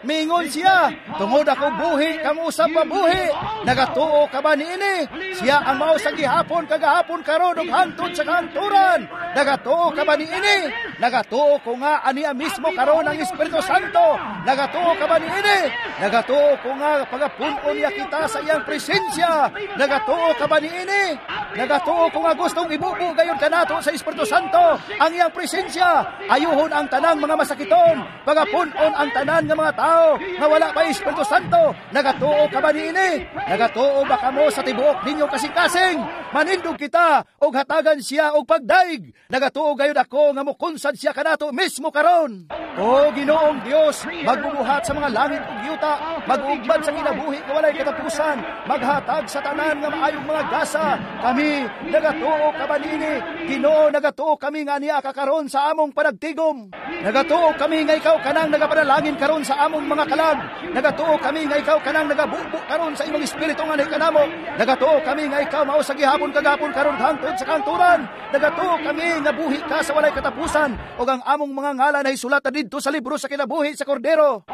Mingon siya, tungod ako buhi, kamo usab mabuhi. Nagatuo ka ba niini? Siya ang mao sa gihapon, kagahapon karon ug hangtod sa kahangturan. Nagatuo ka ba niini? Nagatuo ko nga aniya mismo karon ang Espiritu Santo. Nagatuo ka ba niini? Nagatuo ko nga pagapun-on niya kita sa iyang presensya. Nagatuo ka ba niini? Nagatuo ko nga gustong ibubo gayon kanato sa Espiritu Santo ang iyang presensya. Ayuhon ang tanang mga masakiton, pagapun-on ang tanan nga mga tao nga wala pa Espiritu Santo. Nagatuo ka ba niini? Nagatuo ba kamo sa tibuok ninyo kasing-kasing? Manindog kita og hatagan siya og pagdaig. Nagatuo gayud ako nga mokunsad siya kanato mismo karon. O Ginoong Dios, magbubuhat sa mga langit ug yuta, mag-ugmad sa kinabuhi nga walay katapusan, maghatag sa tanan nga maayong mga gasa. Kami nagatuo ka ba niini? Ginoo, nagatuo kami nga niya ka karon sa among panagtigom. Nagatuo kami nga ikaw kanang nagapanalangin karon sa among mga kalag. Nagatuo kami nga ikaw kanang nagabubo karon sa imong espiritu nga kanamo. Nagatuo kami nga ikaw mao sa gihapon kagapon karon hangtod sa kangturan. Nagatuo kami nga buhi ka sa walay katapusan ug ang among mga ngalan ay sulat didto sa libro sa kinabuhi sa Kordero.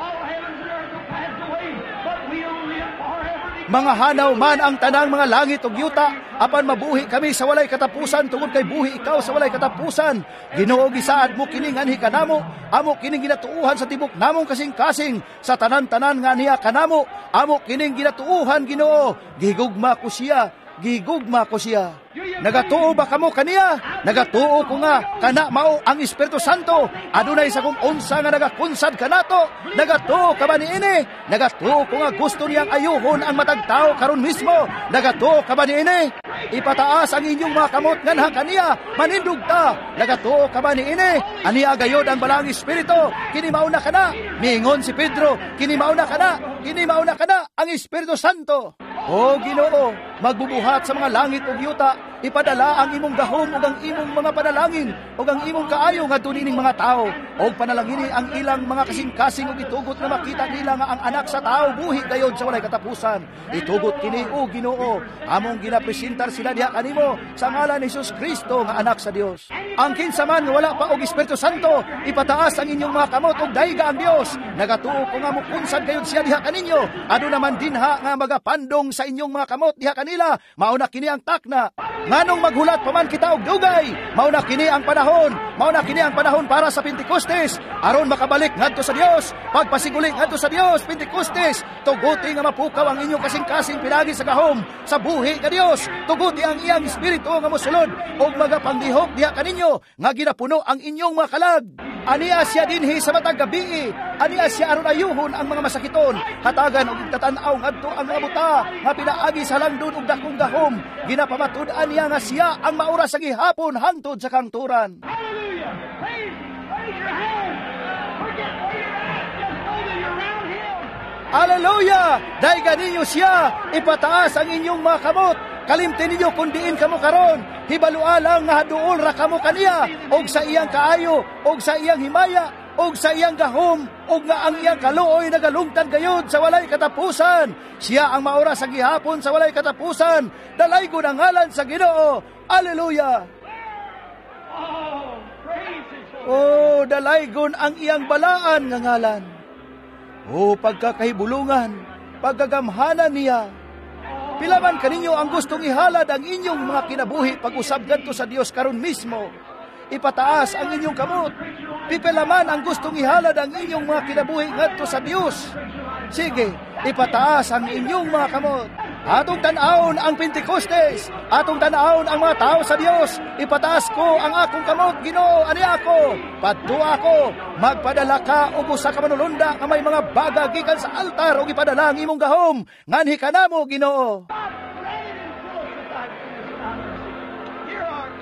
Mga hanaw man ang tanang mga langit ug yuta, apan mabuhi kami sa walay katapusan tungod kay buhi ikaw sa walay katapusan. Ginoo, gisaad mo kining anhi kanamo, amo kining ginatuohan sa tibok namong kasing-kasing, sa tanan-tanan nga niya kanamo, amo kining ginatuohan, Ginoo. Gigugma ko siya, gigugma ko siya. Nagatuo ba kamo kaniya? Nagatuo ko nga kana mao ang Espiritu Santo. Adunay sa kung unsa nga nagakunsad kanato. Nagatuo ka ba niini? Nagatuo ko nga gusto niyang ayuhon ang matag tao karon mismo. Nagatuo ka ba niini? Ipataas ang inyong mga kamot nganha kaniya, manindog ta. Nagatuo ka ba niini? Aniya gayod ang Balaang Espiritu. Kini mao na kana. Miingon si Pedro, kini mao na kana. Kini mao na kana ang Espiritu Santo. O Ginoo, magbubuhat sa mga langit ug yuta, ipadala ang imong gahom ug ang imong mga panalangin ug ang imong kaayo ngadto nining mga tawo, ug panalangini ang ilang mga kasing-kasing ug itugot nga makita nila nga ang anak sa tawo buhi gayod sa walay katapusan. Itugot kini, o Ginoo, among ginapresentar sila diha kanimo sa ngalan ni Jesus Kristo nga anak sa Dios. Ang kinsa man nga wala pa og Espiritu Santo, ipataas ang inyong mga kamot ug dayga ang Dios. Nagatuo ko nga mukunsad gayud siya diha kaninyo. Aduna man dinha nga magapandong sa inyong mga kamot diha kanila. Mao na kini ang takna. Nganong maghulat pa man kita og dugay, mao na kini ang panahon. Mao na kini ang panahon para sa Pentecostes, aron makabalik ngadto sa Dios, pagpasiguli ngadto sa Dios. Pentecostes, tuguti nga mapukaw ang inyong kasing-kasing pinaagi sa gahom sa buhi nga Dios. Tuguti ang iyang espiritu nga mosulod og magapanglihok diha kaninyo nga ginapuno ang inyong mga kalag. Aniya siya dinhi sa matag gabii. Aniya siya aron ayuhon ang mga masakiton. Hatagan og igtatan-aw ngadto ang mga buta nga pinaagi sa langdon og dakong gahom. Ginapamatud-an niya nga siya ang maura sa gihapon hangtod sa kangturan. Hallelujah! Raise your hand. Forget where you're at. Just know that you're around Him. Hallelujah! Dayga ninyo siya, ipataas ang inyong mga kamot. Kalimti ninyo kung diin kamo karon. Hibalua lang nga haduol ra kamo kaniya, og sa iyang kaayo, og sa iyang himaya, og sa iyang gahom, og nga ang iyang kaluoy nagalungtad gayud sa walay katapusan. Siya ang maura sa gihapon sa walay katapusan. Dalaygon ang ngalan sa Ginoo. Hallelujah! Oh, praise His holy Oh, dalaygon ang iyang balaan nga ngalan. Oh, pagkakahibulungan, pagkagamhanan niya. Pila man kaninyo ang gustong ihalad ang inyong mga kinabuhi pag-usab ngadto sa Dios karon mismo. Ipataas ang inyong kamot. Pipila man ang gustong ihalad ang inyong mga kinabuhi ngadto sa Dios. Sige, ipataas ang inyong mga kamot. Atong tan-awon ang Pentecostes. Atong tan-awon ang mga tao sa Dios. Ipataas ko ang akong kamot, Ginoo, ani ako. Padto ako, magpadala ka og usa ka manulunda nga may mga baga gikan sa altar ug ipadala ang imong gahom. Nganhi kanamo, Ginoo.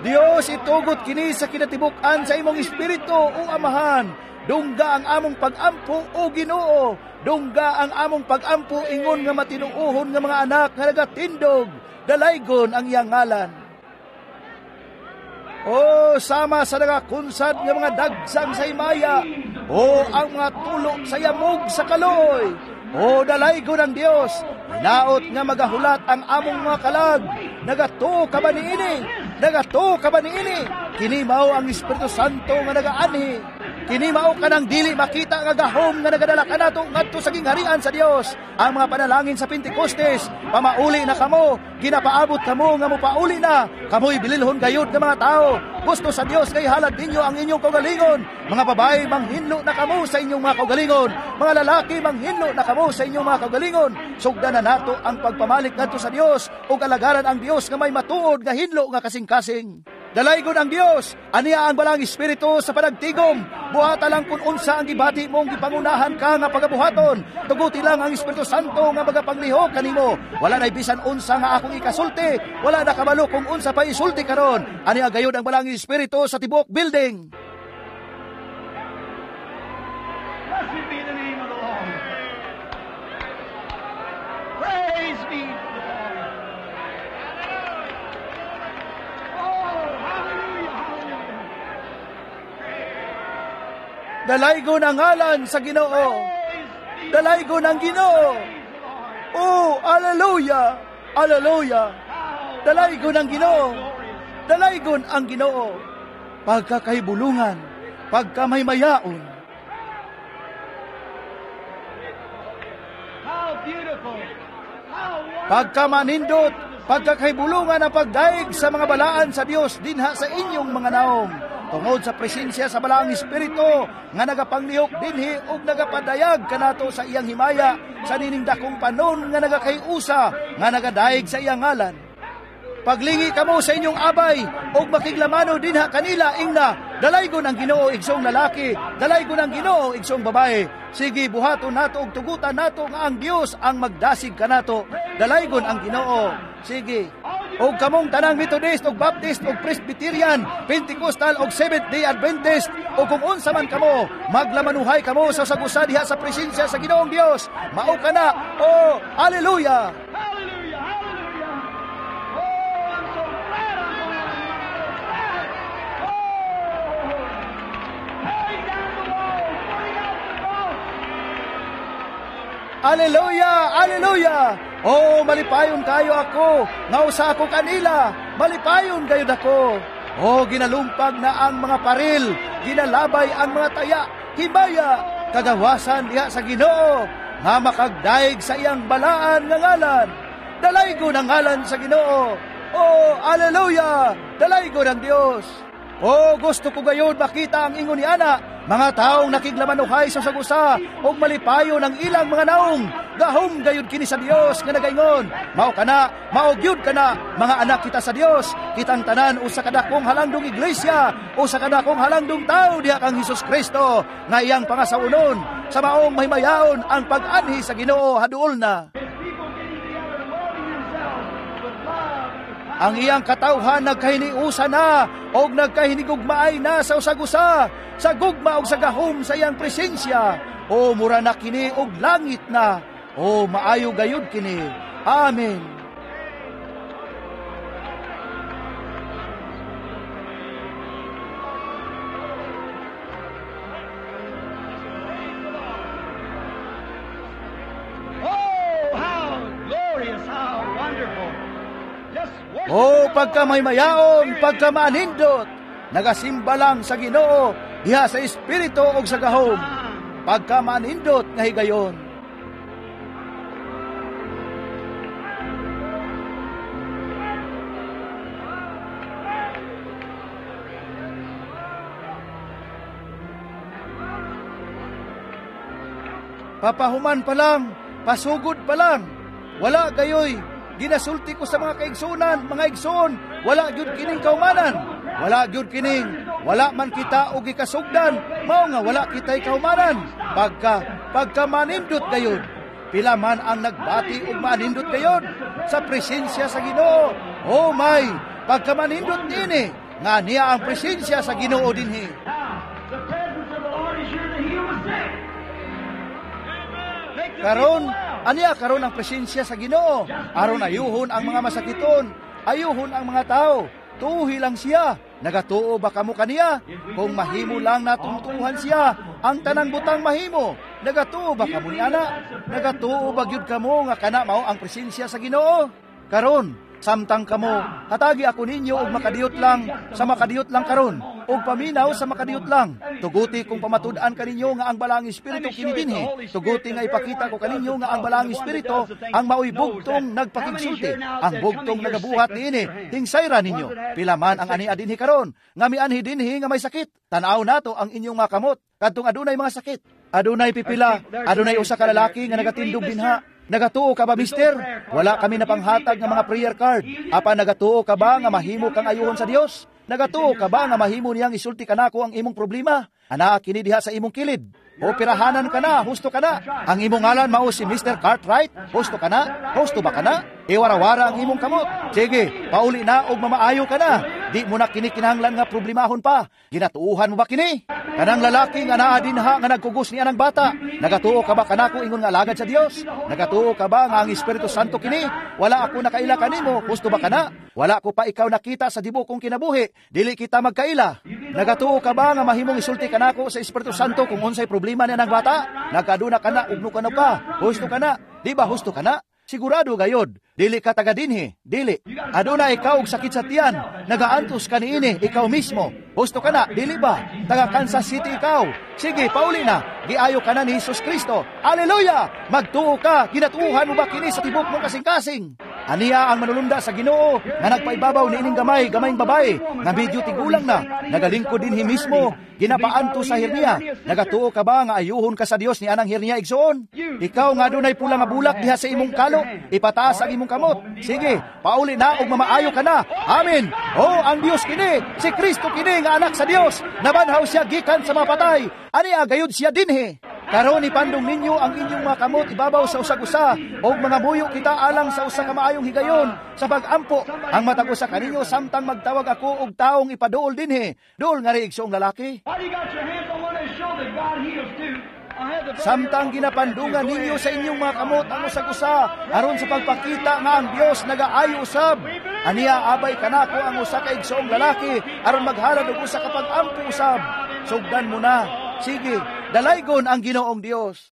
Dios, itugot kini sa kinatibuk-an sa imong espiritu o Amahan. Dungga ang among pag-ampo o Ginoo. Dungga ang among pag-ampo ingon nga matinuohon nga mga anak nga nagatindog. Dalaygon ang iyang ngalan. O sama sa nagakunsad nga mga dagsang sa himaya, o ang mga tulo sa yamog sa kaluoy. O dalaygon ang Dios, hinaot nga magahulat ang among mga kalag. Nagatuo ka ba niini? Nagatuo ka ba niini? Kini mao ang Espiritu Santo nga nagaanhi. Kini mao kanang dili makita nga gahom nga nagadala kanato ngadto sa gingharian sa Dios. Ang mga panalangin sa Pentecostes, pamauli na kamo, ginapaabot kamo nga mopauli na. Kamoy bililhon gayud nga mga tao. Gusto sa Dios kay halad ninyo ang inyong kaugalingon. Mga babae, manghinlo na kamo sa inyong mga kaugalingon. Mga lalaki, manghinlo na kamo sa inyong mga kaugalingon. Sugdan na nato ang pagpamalik ngadto sa Dios ug alagaran ang Dios nga may matuod nga hinlo nga kasing-kasing. Dalaygon ang Dios, aniya ang balang espiritu sa panagtigom. Buhata lang kung unsa ang gibati mong gipangunahan ka nga pagabuhaton. Tuguti lang ang Espiritu Santo nga magapanglihok kanimo. Wala na bisan unsa nga akong ikasulti, wala na kabalo kung unsa pa isulti karon. Aniya gayud ang balang espiritu sa tibuok building. Blessed be the name of the Lord. Praise be to the Lord. Oh, hallelujah, hallelujah. Dalaygon ang ngalan sa Ginoo. Dalaygon ang Ginoo. Oh, hallelujah, hallelujah. Dalaygon ang Ginoo. Dalaygon ang Ginoo. Pagkakahibulungan, pagkamaymayaon. How beautiful. How wonderful. Pagkamanindot, pagkakahibulungan ang pagdaig sa mga balaan sa Dios dinha sa inyong mga naong. Tungod sa presensya sa balaang espiritu nga nagapanglihok dinhi ug nagapadayag kanato sa iyang himaya sa nining dakong panon nga nagakayusa nga nagadaig sa iyang ngalan. Paglingi kamo sa inyong abay og makiglamano dinha kanila ingna, dalaygon ang Ginoo igsoong lalaki, dalaygon ang Ginoo igsoong babae. Sige, buhaton nato og tugutan nato nga ang Dios ang magdasig kanato. Dalaygon ang Ginoo. Sige. Og kamong tanang Methodist og Baptist og Presbyterian, Pentecostal og Seventh-day Adventist, o kung unsa man kamo, maglamanuhay kamo sa sagusa diha sa presensya sa Ginoong Dios. Mao kana. Oh, hallelujah. Hallelujah! Hallelujah! Oh, malipayon kayo ako, nga usa ako kanila, malipayon gayud ako. Oh, ginalumpag na ang mga paril, ginalabay ang mga taya, himaya, kagawasan diha sa Ginoo, nga makagdaig sa iyang balaan nga ngalan. Dalaygon ang ngalan sa Ginoo. Oh, hallelujah! Dalaygon ang Dios. Oh, gusto ko gayud makita ang ingon ni ana, mga taong nakiglamanuhay sa sagusa og malipayon ang ilang mga naong. Gahom gayud kini sa Dios nga nagaingon, mao kana, mao gyud kana, mga anak kita sa Dios, kitang tanan usa ka dakong halangdong iglesia, usa ka dakong halangdong tawo diha kang Hesus Kristo nga iyang pangasawunon sa maong mahimayaon ang pag-anhi sa Ginoo haduol na. Ang iyang katawhan nagkahiniusa na og nagkahinigugmaay na sa usag-usa, sa gugma og sa gahom sa iyang presensya. O mura na kini og langit na. O maayo gayud kini. Amen. Oh, how glorious, how wonderful. Oh, pagkamaymayaon, pagkamanindot, nagasimba lang sa Ginoo diha sa espiritu og sa gahom. Pagkamanindot nga higayon. Papahuman pa lang, pasugod pa lang, wala gayoy. Ginasulti ko sa mga kaigsunan, mga igsoon, wala gyud kining kaumanan, wala gyud kining, wala man kita og gikasugdan, mao nga wala kitay kaumanan. Pagka manindot gayud, pila man ang nagbati og manindot gayud sa presensya sa Ginoo. Oh my, pagka manindot niini, nga niya ang presensya sa Ginoo dinhi. Karon, aniya karon ang presensya sa Ginoo. Aron ayuhon ang mga masakiton, ayuhon ang mga tao. Tuuhi lang siya. Nagatuo ba kamo kaniya? Kung mahimo lang natong tuuhan siya, ang tanang butang mahimo. Nagatuo ba kamo ni ana? Nagatuo ba gyud kamo nga kana mao ang presensya sa Ginoo? Karon, samtang kamo, hatagi ako ninyo og makadiyot lang sa makadiyot lang karon, og paminaw sa makadiyot lang. Tuguti kung pamatud-an kaninyo nga ang Balaang Espiritu kini dinhi. Tuguti nga ipakita ko kaninyo nga ang Balaang Espiritu ang maoy bugtong nagpakigsulti, ang bugtong nagabuhat niini. Hingsayra ninyo. Pila man ang ania dinhi karon, nga mianhi dinhi nga may sakit. Tan-aw nato ang inyong mga kamot kadtong adunay mga sakit. Adunay pipila, adunay usa ka lalaki nga nagatindog dinha. Nagatuo ka ba, mister? Wala kami napanghatag nga mga prayer card. Apa nagatuo ka ba nga mahimo kang ayuhon sa Dios? Nagatuo ka ba nga mahimo niyang isulti kanako ang imong problema? Ana kini diha sa imong kilid. Operahanan ka na, husto ka na. Ang imong ngalan mao si Mr. Cartwright, husto ka na? Husto ba ka na? Iwarawara ang imong kamot. Sige, pauli na og mamaayo ka na. Di mo na kini kinahanglan nga problemahon pa. Ginatuuhan mo ba kini? Kanang lalaki nga naa dinha nga nagkugos niya ng bata. Nagatuo ka ba kanako ingon nga alagad sa Dios? Nagatuo ka ba nga ang Espiritu Santo kini? Wala ako nakaila kanimo, husto ba kana? Wala ko pa ikaw nakita sa dibo kong kinabuhi. Dili kita magkaila. Nagatuo ka ba nga mahimong isulti kanako sa Espiritu Santo kung unsay problema niya ng bata? Nagkaduna ka na, ugno ka na pa. Husto ka na. Di ba husto ka na? Sigurado gayod, dili ka taga dinhi, dili. Aduna ikaw og sakit sa tiyan, nagaantos ka niini, ikaw mismo. Husto ka na, dili ba? Taga Kansas City ikaw. Sige, pauli na. Giayo ka na ni Jesus Kristo. Hallelujah! Magtuo ka, ginatuuhan mo ba kini sa tibok mong kasing-kasing? Aniya ang manulunda sa Ginoo nga nagpaibabaw niining gamay, gamayng babae nga medyo tigulang na, nagalingkod dinhi mismo, ginapaanto sa hernia. Nagatuo ka ba nga ayuhon ka sa Dios ni anang hernia, igsoon? Ikaw nga dunay pula nga bulak diha sa imong kalo, ipataas ang imong kamot. Sige, pauli na og mamaayo ka na. Amen. Oh, ang Dios kini, si Kristo kini nga anak sa Dios. Nabanhaw siya gikan sa mga patay. Aniya gayud siya dinhi. Karon ipandong ninyo ang inyong mga kamot ibabaw sa usag-usa og mga muyo kita alang sa usa ka maayong higayon sa pag-ampo ang matag usa kaninyo samtang magtawag ako og taong ipaduol dinhi. Duol ngari, igsoong lalaki. While you got your hands on one another, show that God heals too. I have the brother Samtang ginapandungan ninyo sa inyong mga kamot ang usag-usa aron sa pagpakita nga ang Dios nagaayo usab. Aniya abay kanako ang usa ka igsoong lalaki aron maghalad og usa ka pag-ampo usab. Sugdan mo na. Sige, dalaygon ang Ginoong Dios.